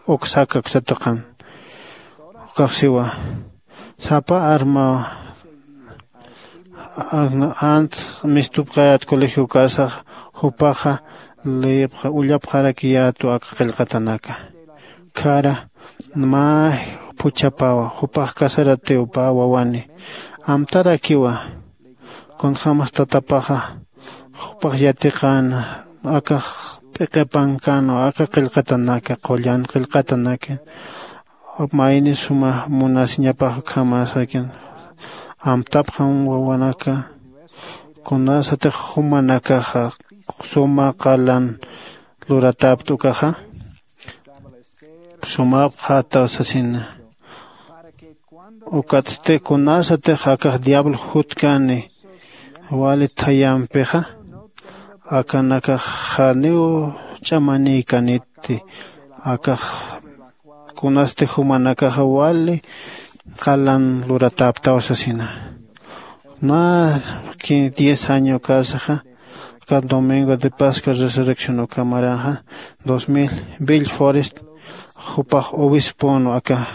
uksakak satuqan. Ukaxsiwa sapa arma ant mistupxayät colegio karsax, jupaxa leyipxa ullapxarakiyätu aka qillqatanaka. Khara mä phuchhapawa, jupax casaratiw pä wawani. Amtarakiwa kunjämas tatapaxa jupax yatiqäna akax p'iqipankäna aka qillqatanaka, qullan qillqatanaka. Mayni suma munasiñapax ukhamäsakin. Amtapxam wawanaka. Kunasatix jumanakaxa suma qalan luratäpta ukaxa, sumapxätaw sasina. Ukatsti kunasatix akax diablo jutkani wali thayampixa, akanakax janiw ch'amanïkanitti. Akax kunasti jumanakaxa wali qalan luratäptaw sasina. Mä diez año karsaxa, aka domingo de pascua resurrección ukhamaranxa, dos mil bill forrest, jupax obispon aka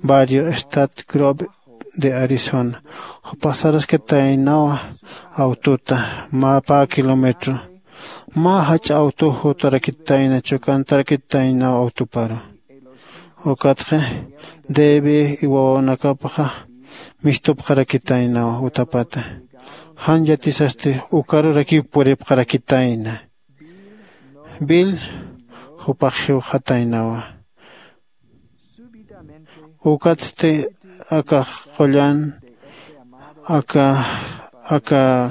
barrio stat grove de arizona. Jupax saraskataynawa awtuta mä pä kilómetro. Mä jach'a awtu jutarakitayna, chukantarakitaynaw awtuparu. Ukatxa debi wawanakapaxa mistupxarakitaynaw utapata. Jan yatisasti ukarurakiw puripxarakitayna. Bill jupax jiwxataynawa. Ukatsti akax qullan aka aka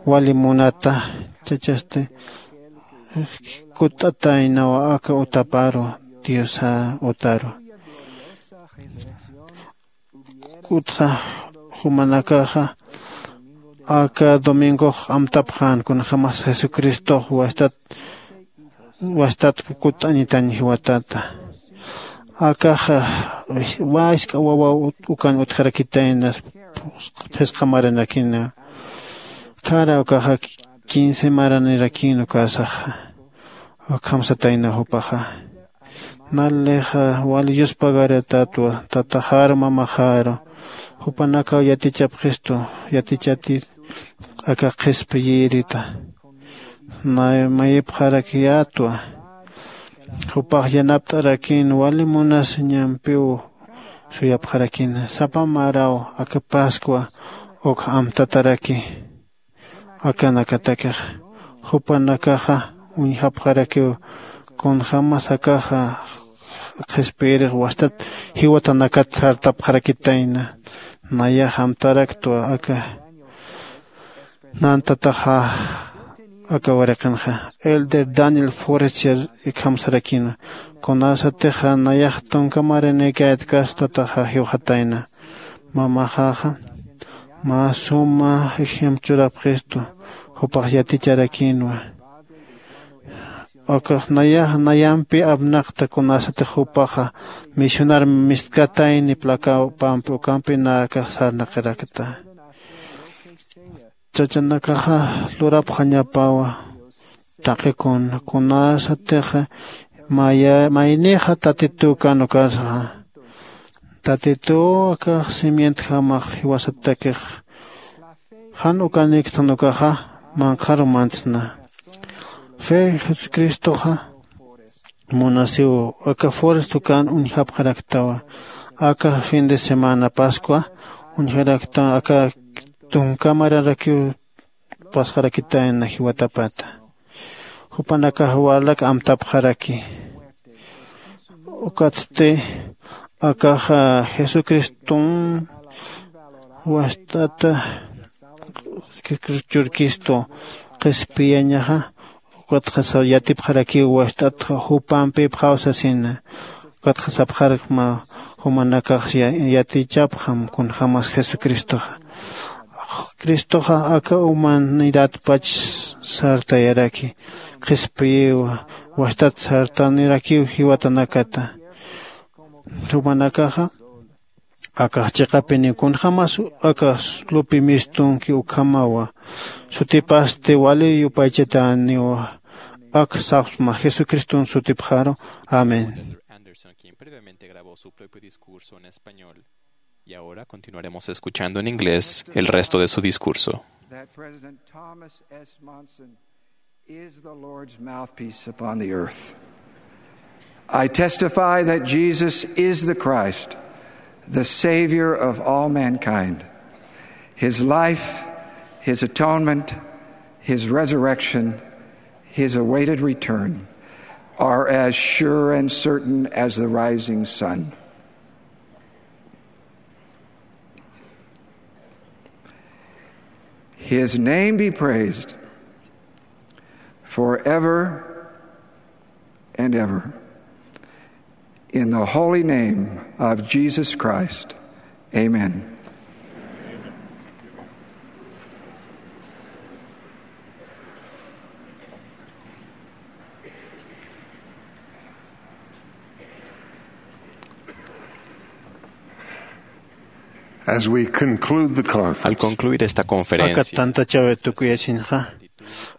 wali munata chachasti kutt'ataynawa aka utaparu, diosa utaru. Kutxa jumanakaxa aka domingox amtapxän kunjämas jesucristox wastat wastat kutt'añitañ jiwatata. Akaxa wask'a wawa ukan utjarakitayna phisqa maranakina. Khara ukaxa quince maranirakin ukasaxa. Ukham satayna jupaxa. Nalixa wali yuspagaratatwa tataxaru mamaxaru. Jupanakaw yatichapxistu yatichatit aka qhispiyirita. Nay mayipxarakiyätwa. Jupax yanapt'arakin wali munasiñampiw suyapxarakina sapa maraw aka pascua uk amtataraki. Akanakatakix jupanakaxa uñjapxarakiw kunjämas akaxa qhispiyirix wastat jiwatanakat sartapxarakitayna. Nayax amtaraktwa aka nantataxa aka waraqinxa. Elder Daniel Forrester ikhamsarakinwa, kunasatixa nayax tunka marinïkayat kastataxa jiwxatayna. Mamaxaxa mä suma ejemplo churapxistu, jupax yaticharakinwa. Akax nayax nayampi apnaqta kunasatix jupaxa misionar mistkatayni plakapampi ukampi nakax sarnaqirakta. Chachanakaxa lurapxañapawa taqikun kunasatixa maya maynixa tatitukan ukasxa. Tatituw akax simientjamax jiwasatakix jan ukaniktan ukaxa manqharu mantsna. Fe jesucristoxa munasiw aka forest ukan uñjapxaraktawa. Aka fin de semana pascua uñjaraktawa aka tunka maranrakiw pasxarakitayna jiwatapata. Jupanakax walak amtapxaraki. Ukatsti akaxa jesucriston wast'ata churkistu qhispiyañaxa. Ukatxa yatipxarakiw wast'atxa jupampipxaw sasina. Ukatxa sapxarkma jumanakax yatichapxam kunjämas jesucristoxa. Cristoxa aka humanidadpach sartayaraki qhispiyiwa. Wastat sartanirakiw jiwatanakata. Jumanakaxa akax chiqapiniw kunjämas akax lupi mistunki ukhamawa. Sutipasti wali yupaychatäniwa. Ak sapxsma jesucriston sutipxaru. Amén. Anderson, quien previamente grabó su propio discurso en español. Y ahora continuaremos escuchando en inglés el resto de su discurso. That President Thomas S. Monson is the Lord's mouthpiece upon the earth. I testify that Jesus is the Christ, the Savior of all mankind. His life, his atonement, his resurrection, his awaited return are as sure and certain as the rising sun. His name be praised forever and ever. In the holy name of Jesus Christ, amen. As we conclude the conference, al concluir esta conferencia, aka tantachawi tukuyasinxa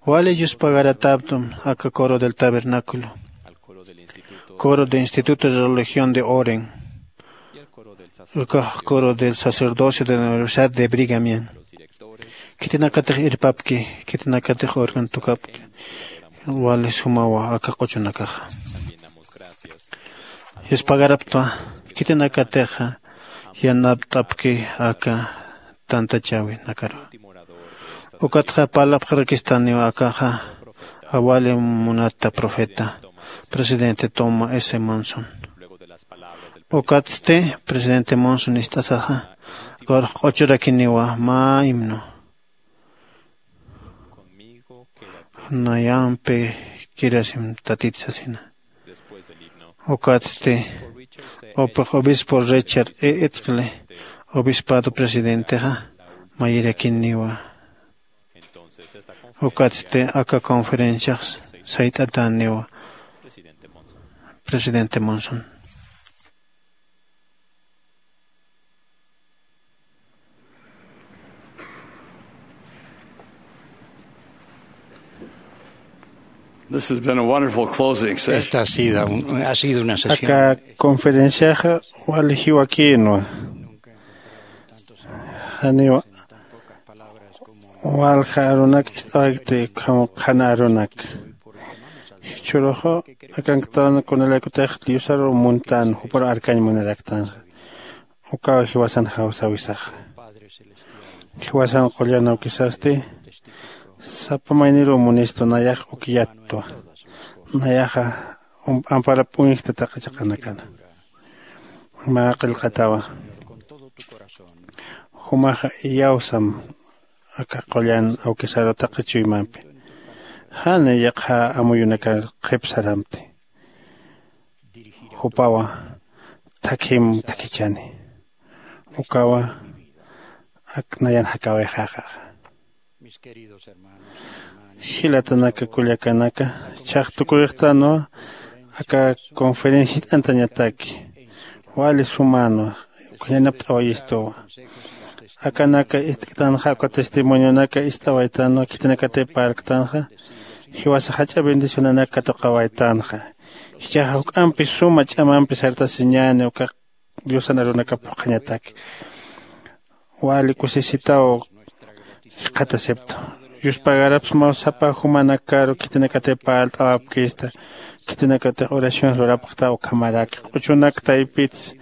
wali yuspagarataptum aka coro del tabernáculo, coro de instituto de religión de Oren, ukax coro del sacerdocio de la universidad de Brigamian. Khitinakatix irpapki, khitinakatix organ tukapki. Wali sumawa aka q'uchunakaxa. Yuspagaraptwa khitinakatixa yanapt'apki aka tantachäwinakaru. Ukatxa parlapxarakistaniw akaxa awali munata profeta presidente Thomas S. Monson. Ukatsti presidente Monson ist'asaxa q'uruxq'uchurakiniwa mä himno. Nayampi kirasim tatit sasina. Ukatsti upix obispo Richard E. Itzqli obispado presidentexa mayirakiniwa. Ukatsti aka conferenciax sayt'atäniwa presidente Monson. This has been a wonderful closing session. Esta ha sido, ha sido una sesión. Aka conferenciaxa wali jiwakïnwa. Janiw walja arunak ist'awaykt ukham qhana arunak. Jichhüruxa akanktan kunalaykutix Diosaru muntän, jupar arkañ munaraktan. Ukaw jiwasan jawsäwisaxa. Jiwasan qullan awkisasti sapa mayniruw munistu, nayax uk yattwa. Nayaxa amparap uñjta taqi chiqanakana. Mä qillqatawa, jumaxa iyawsam aka qullan awkisaru taqi chuymampi. Jani yaqha amuyunakar qhipsaramti, jupawa thakhim thakhichani. Ukawa ak nayan jakawixaxaxa. Jilatanaka kullakanaka, chhax tukuyxtanwa aka conferencia jit'antañataki. Wali sumänwa, uka yanapt'awayistuwa. Akanaka ist'ktanxa, uka testimonionaka ist'awaytanwa, khitinakatï parlktanxa, jiwasa jach'a bendicionanak katuqawaytanxa. Jichhaxa juk'ampi suma ch'amampi sartasiñäni uka diosan arunakap phuqhañataki. Wali kusisitaw jikxatasiptu. Yuspagarapsmaw sapa jumanakaru khitinakatï parlt'awapkista, khitinakatix oraciones lurapxtaw ukhamaraki q'uchunak taypits.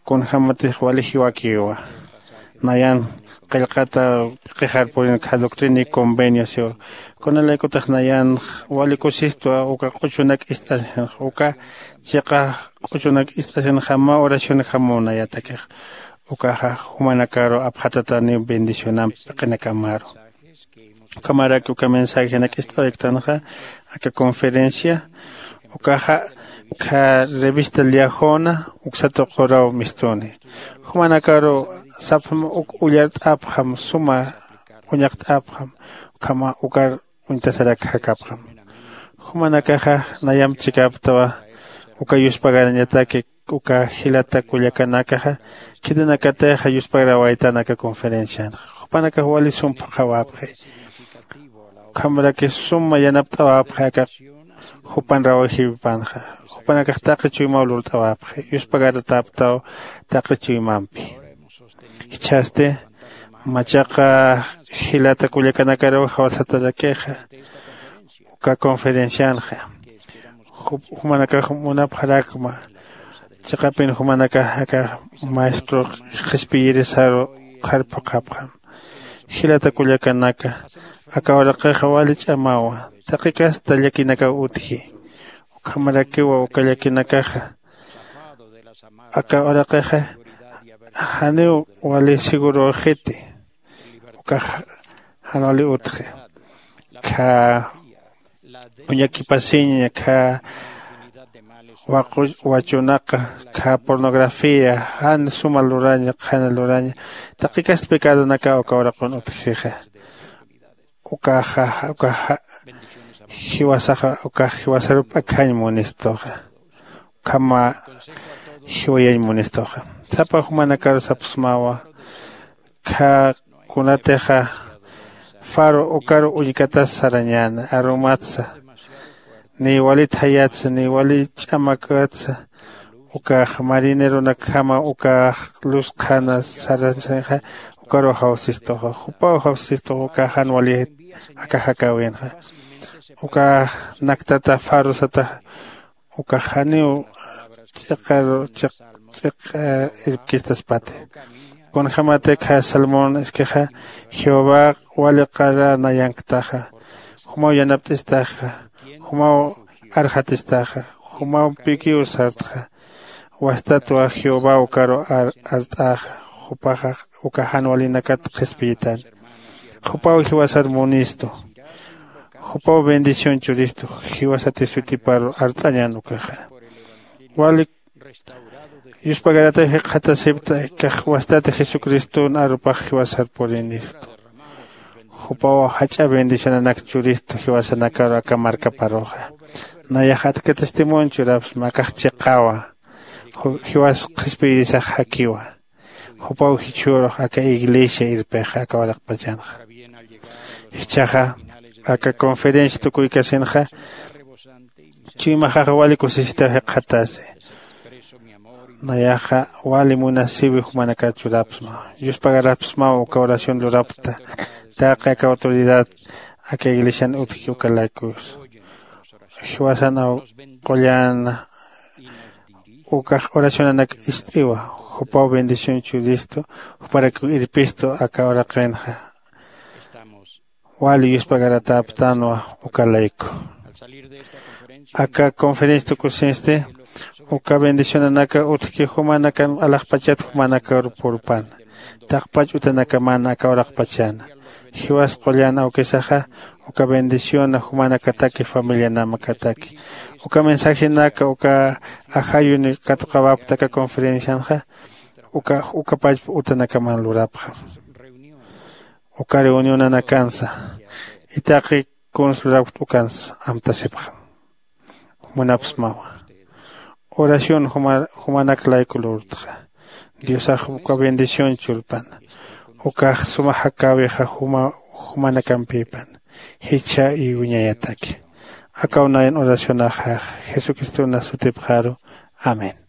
Kunjämatix wali jiwakiwa, nayan qillqata p'iqixar purinxa doctrina y convenio siwa. Kunalaykutix nayan wali kusistwa uka q'uchunak ist'asinxa, uka chiqa q'uchunak ist'asinxa mä oracionjamaw nayatakix. Ukaxa jumanakaru apxatataniw bendicionamp p'iqinakamaru. Ukhamaraki uka mensajenak ist'awayktanxa aka conferencia, ukaxa kha revista liajona uksa tuquraw mistuni. Jumanakaru sapxam uk ullart'apxam, suma uñaqt'apxam, ukhama ukar uñtasarak jakapxam. Jumanakaxa nayamp chikaptawa uka yuspagarañataki uka jilata kullakanakaxa khitinakatixa yuspagarawaytan aka conferencianxa. Jupanakax wali sum phuqhawapxi, ukhamraki suma yanapt'awapxi aka jupan rawajiwipanxa. Jupanakax taqi chuymaw lurt'awapxi, yuspagaratäptaw taqi chuymampi. Jichhasti machaqa jilata kullakanakaruw jawsatarakixa uka conferencianxa. Jumanakax munapxarakma chiqapin jumanakax aka maestro qhispiyirisaru ukhar phuqhapxam. Jilata kullakanaka, aka uraqixa wali ch'amawa, taqi kasta llakinakaw utji. Ukhamarakiwa uka llakinakaxa aka uraqixa janiw wali seguröxiti. Ukax jan wali utji. Kha uñakipasiña, kha waqu wachunaqa, kha pornografía, jan suma luraña, qhana luraña, taqi kasta pecadonakaw uka uraqun utjixa. Ukaxa ukaxa jiwasaxa ukax jiwasarup akhañ munistuxa. Ukhama jiwayañ munistuxa. Sapa jumanakaru sapxsmawa, kha kunatixa faro ukaru uñkatas sarañäna arumatsa, niy walit jayatsa, niy walit ch'amakatsa, ukax marineronakjama ukax luz qhana sarasinxa, ukaru jawsistuxa. Jupaw jawsistuxa ukax jan wali aka jakäwinxa. Ukax naktata faro sataxa ukax janiw ch'iqaru ch'iq ch'iq irpkistaspati. Kunjämati kha salmón iskixa, jehová wali qara nayanktaxa, jumaw yanapt'istaxa, jumaw arxatistaxa, jumaw pikiw sartxa. Wastatwa jehová ukaru art'axa, jupaxa uka jan walinakat qhispiyitani. Jupaw jiwasar munistu. Jupaw bendición churistu. Jiwasati sutiparu art'añan ukaxa. Wali yuspagarataw jikxatasipta, kax wastati jesucriston arupax jiwasar purinistu. Jupaw jach'a bendicionanak churistu jiwasanakaru aka markaparuxa. Nayax atka testimonio churapsma, akax chiqawa. Jiwas qhispiyirisax jakiwa. Jupaw jichhürux aka iglesia irpixa aka waraqpachanxa. Jichhaxa aka conferencia tukuykasinxa chuymaxaxa wali kusisitaw jikxatasi. Nayaxa wali munasiwi jumanakar churapsma, yuspagarapsmaw uka oración lurapkta. Taqi aka autoridad aka iglesian utjki uka laykus. Jiwasan aw qullan ukax oracionanak ist'iwa. Jupaw bendición churistu, juparakiw irpistu aka uraqinxa. Wali yuspagaratäptanwa uka layku. Aka conferencia tukusinsti uka bendicionanaka utjki jumanakan alaxpachat jumanakar purpan. Taqpach utanakaman aka uraqpachana. Jiwas qullan awkisaxa uka bendición jumanakataki familianamakataki. Uka mensajenaka uka ajayuni katuqawapta aka conferencianxa uka ukapach utanakaman lurapxa. Uka reunionanakansa itaqi kuns lurawkt ukansa amtasipxa. Munapsmawa. Oración jumanak layku lurtxa. Diosax uka bendición churpana. Ukax suma jakäwixa jumanakampipan jichha iwiñayataki. Akaw nayan oracionaxax jesucristona sutipxaru. Amén.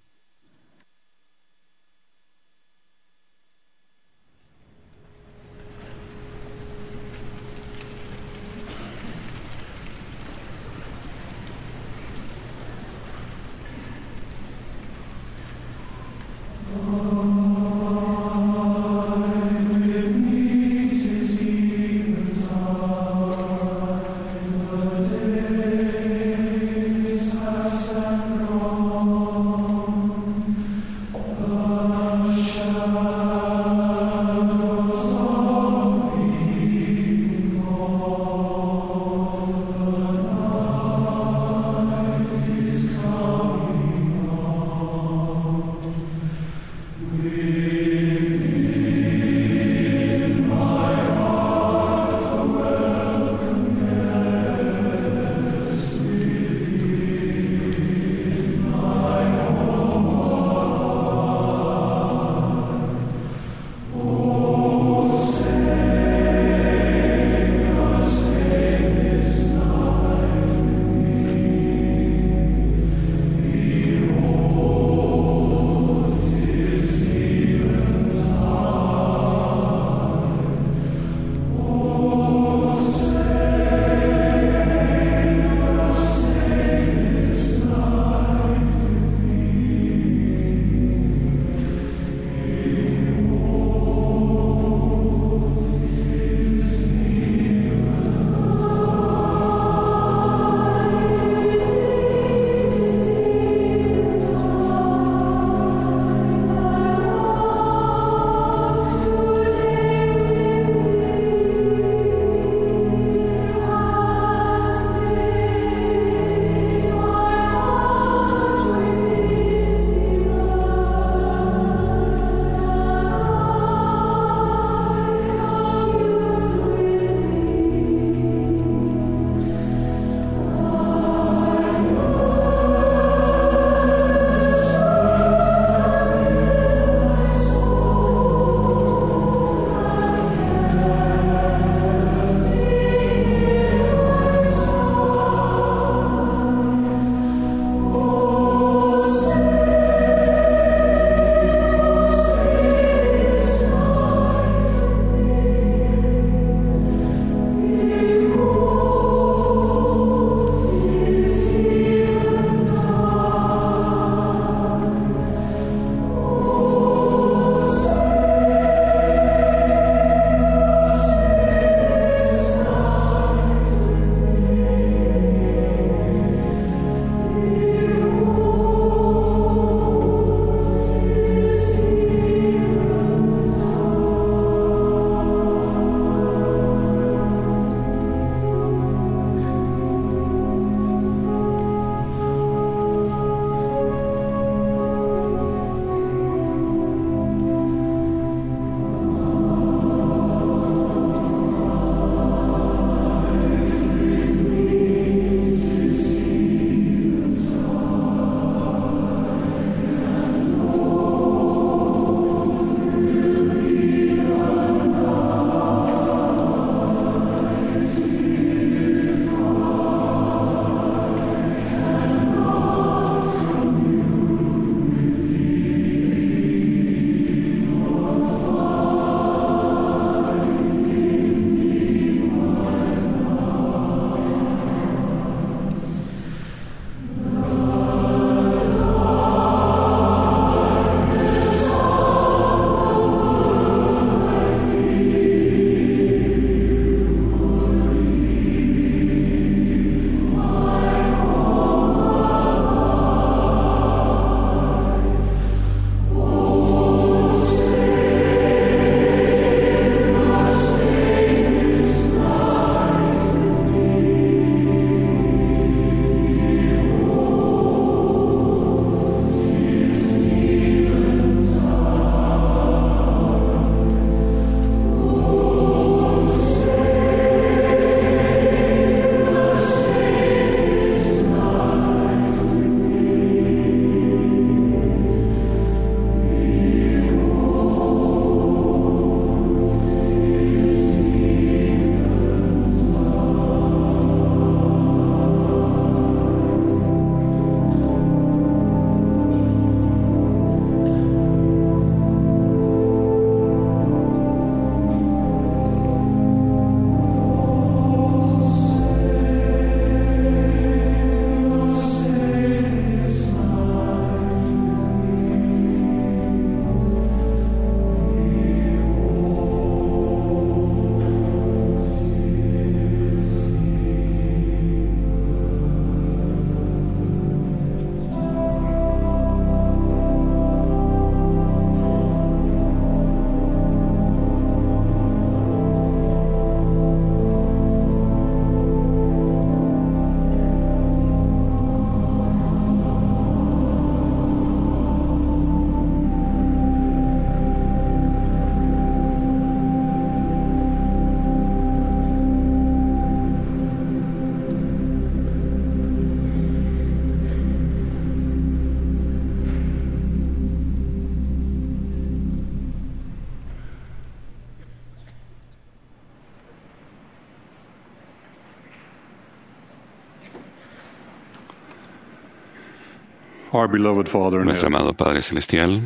Our beloved Father in Nuestro heaven, amado Padre Celestial,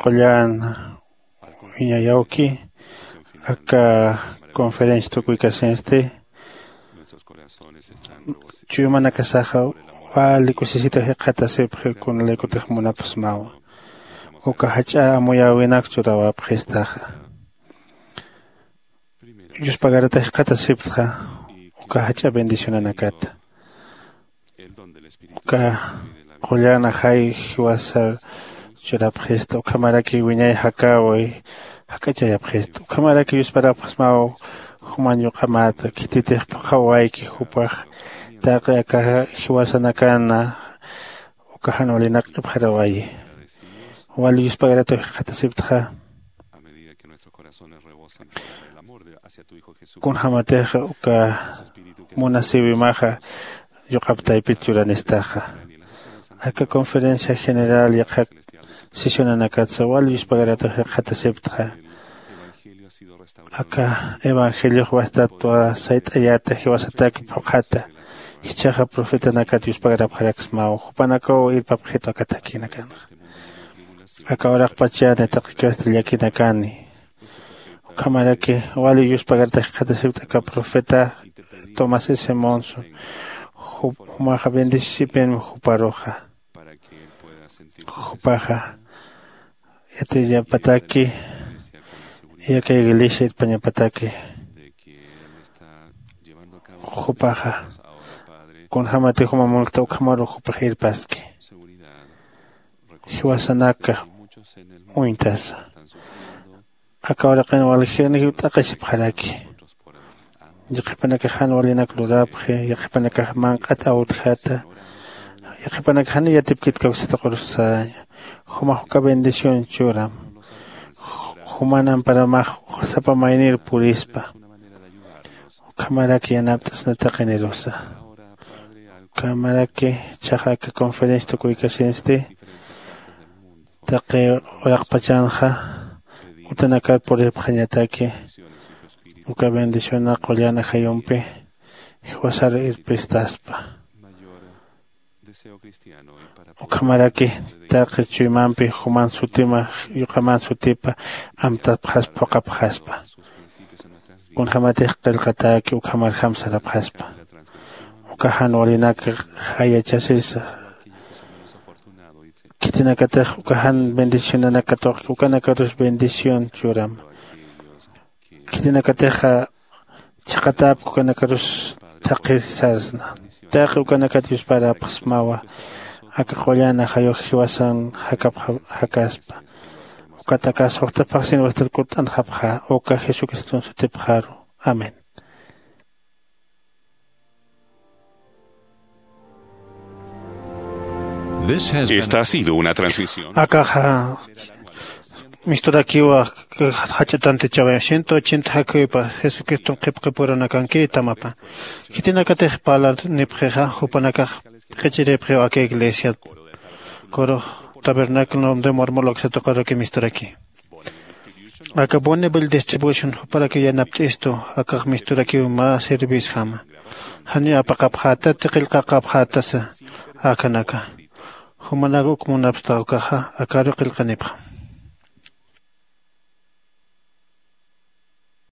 qullan wiñayawki, aka conferencia tukuykasinsti chuymanakasaxa wali kusisita jikxatasipxi, kunalaykutix munapxsmawa. Uka jach'a amuyäwinak churawapxistaxa, yuspagarata jikxatasiptxa uka jach'a bendicionanakata. Uka qullan ajay jiwasar churapxista, ukhamaraki wiñay jakäwi jak'achayapxista, ukhamaraki yusparapxsmaw juman yuq'amata, khititix phuqhawayki jupax taqi aka jiwasanakana uka jan walinak q'ipxarawayi. Wali yuspagarataw jikxatasiptxa, kunjämatix uka munasiwimaxa yuqap taypit churanistaxa. Aka conferencia general yaqha sesionanakatsa wal yuspagaratux jikxatasiptxa, aka evangeliox wastatwa sayt'ayata jiwasataki phuqhata. Jichhaxa profetanakat yuspagarapxaraksmaw, jupanakaw irpapxitu aka thakinakanxa. Aka uraqpachani taqi kasta llakinakani. Ukhamaraki wali yuspagaratux jikxatasiptxa aka profeta Thomas S Monson. Jup- jumaxa bendisipin juparuxa. Jupaxa yatiyapataki, yaka iglesia irpañapataki, jupaxa kunjämati juma munkta ukhamaru jupax irpaski. Jiwasanaka uñtasa. Aka uraqin waljani jiwt'aqisipxaraki. Yaqhipanakax jan walinak lurapxi, yaqhipanakax manq'at awtjata, yaqhipanakax jani yatipkit kawsat qurus saraña. Jumax uka bendición churam. Juman amparamax sapa maynir purispa. Ukhamaraki yanapt'asna taqinirusa. Ukhamaraki jichhaxa aka conferencia tukuykasinsti taqi uraqpachanxa utanakar puripxañataki, uka bendiciona qullan ajayumpi jiwasar irpistaspa. Ukhamaraki taqi chuymampi juman sutima yuqaman sutipa amtapxaspa, phuqapxaspa. Kunjämatix qillqatäki ukhamarjam sarapxaspa. Uka jan walinak jayachasisa. Khitinakatix uka jan bendicionanakatux ukanakarus bendición churam. Khitinakatixa chhaqatapki ukanakarus thaqhir sarsna. Taqi ukanakat yusparapxsmawa aka qullan ajayux jiwasan jakapxa jakaspa. Ukat aka suxta phaxsin wastat kutt'anxapxa uka Jesucriston sutipxaru. Amén. Esta ha sido una transmisión. Akaxa misturakiwa jach'a tantichawi ciento ochenta jakhuwipa Jesucriston qhipqipurunakankiri tamapa. Khitinakatix parlanipxixa jupanakax q'ichiripxiw aka iglesiat. Kurux tabernáculo de Mormon uksatuqaruki misturaki. Aka Bonneville Distribution juparaki yanapt'istu, akax misturakiw mä servicejama. Janiw apaqapxätati, qillqaqapxätasa akanaka. Jumanak uk munapxta ukaxa akaru qillqanipxam.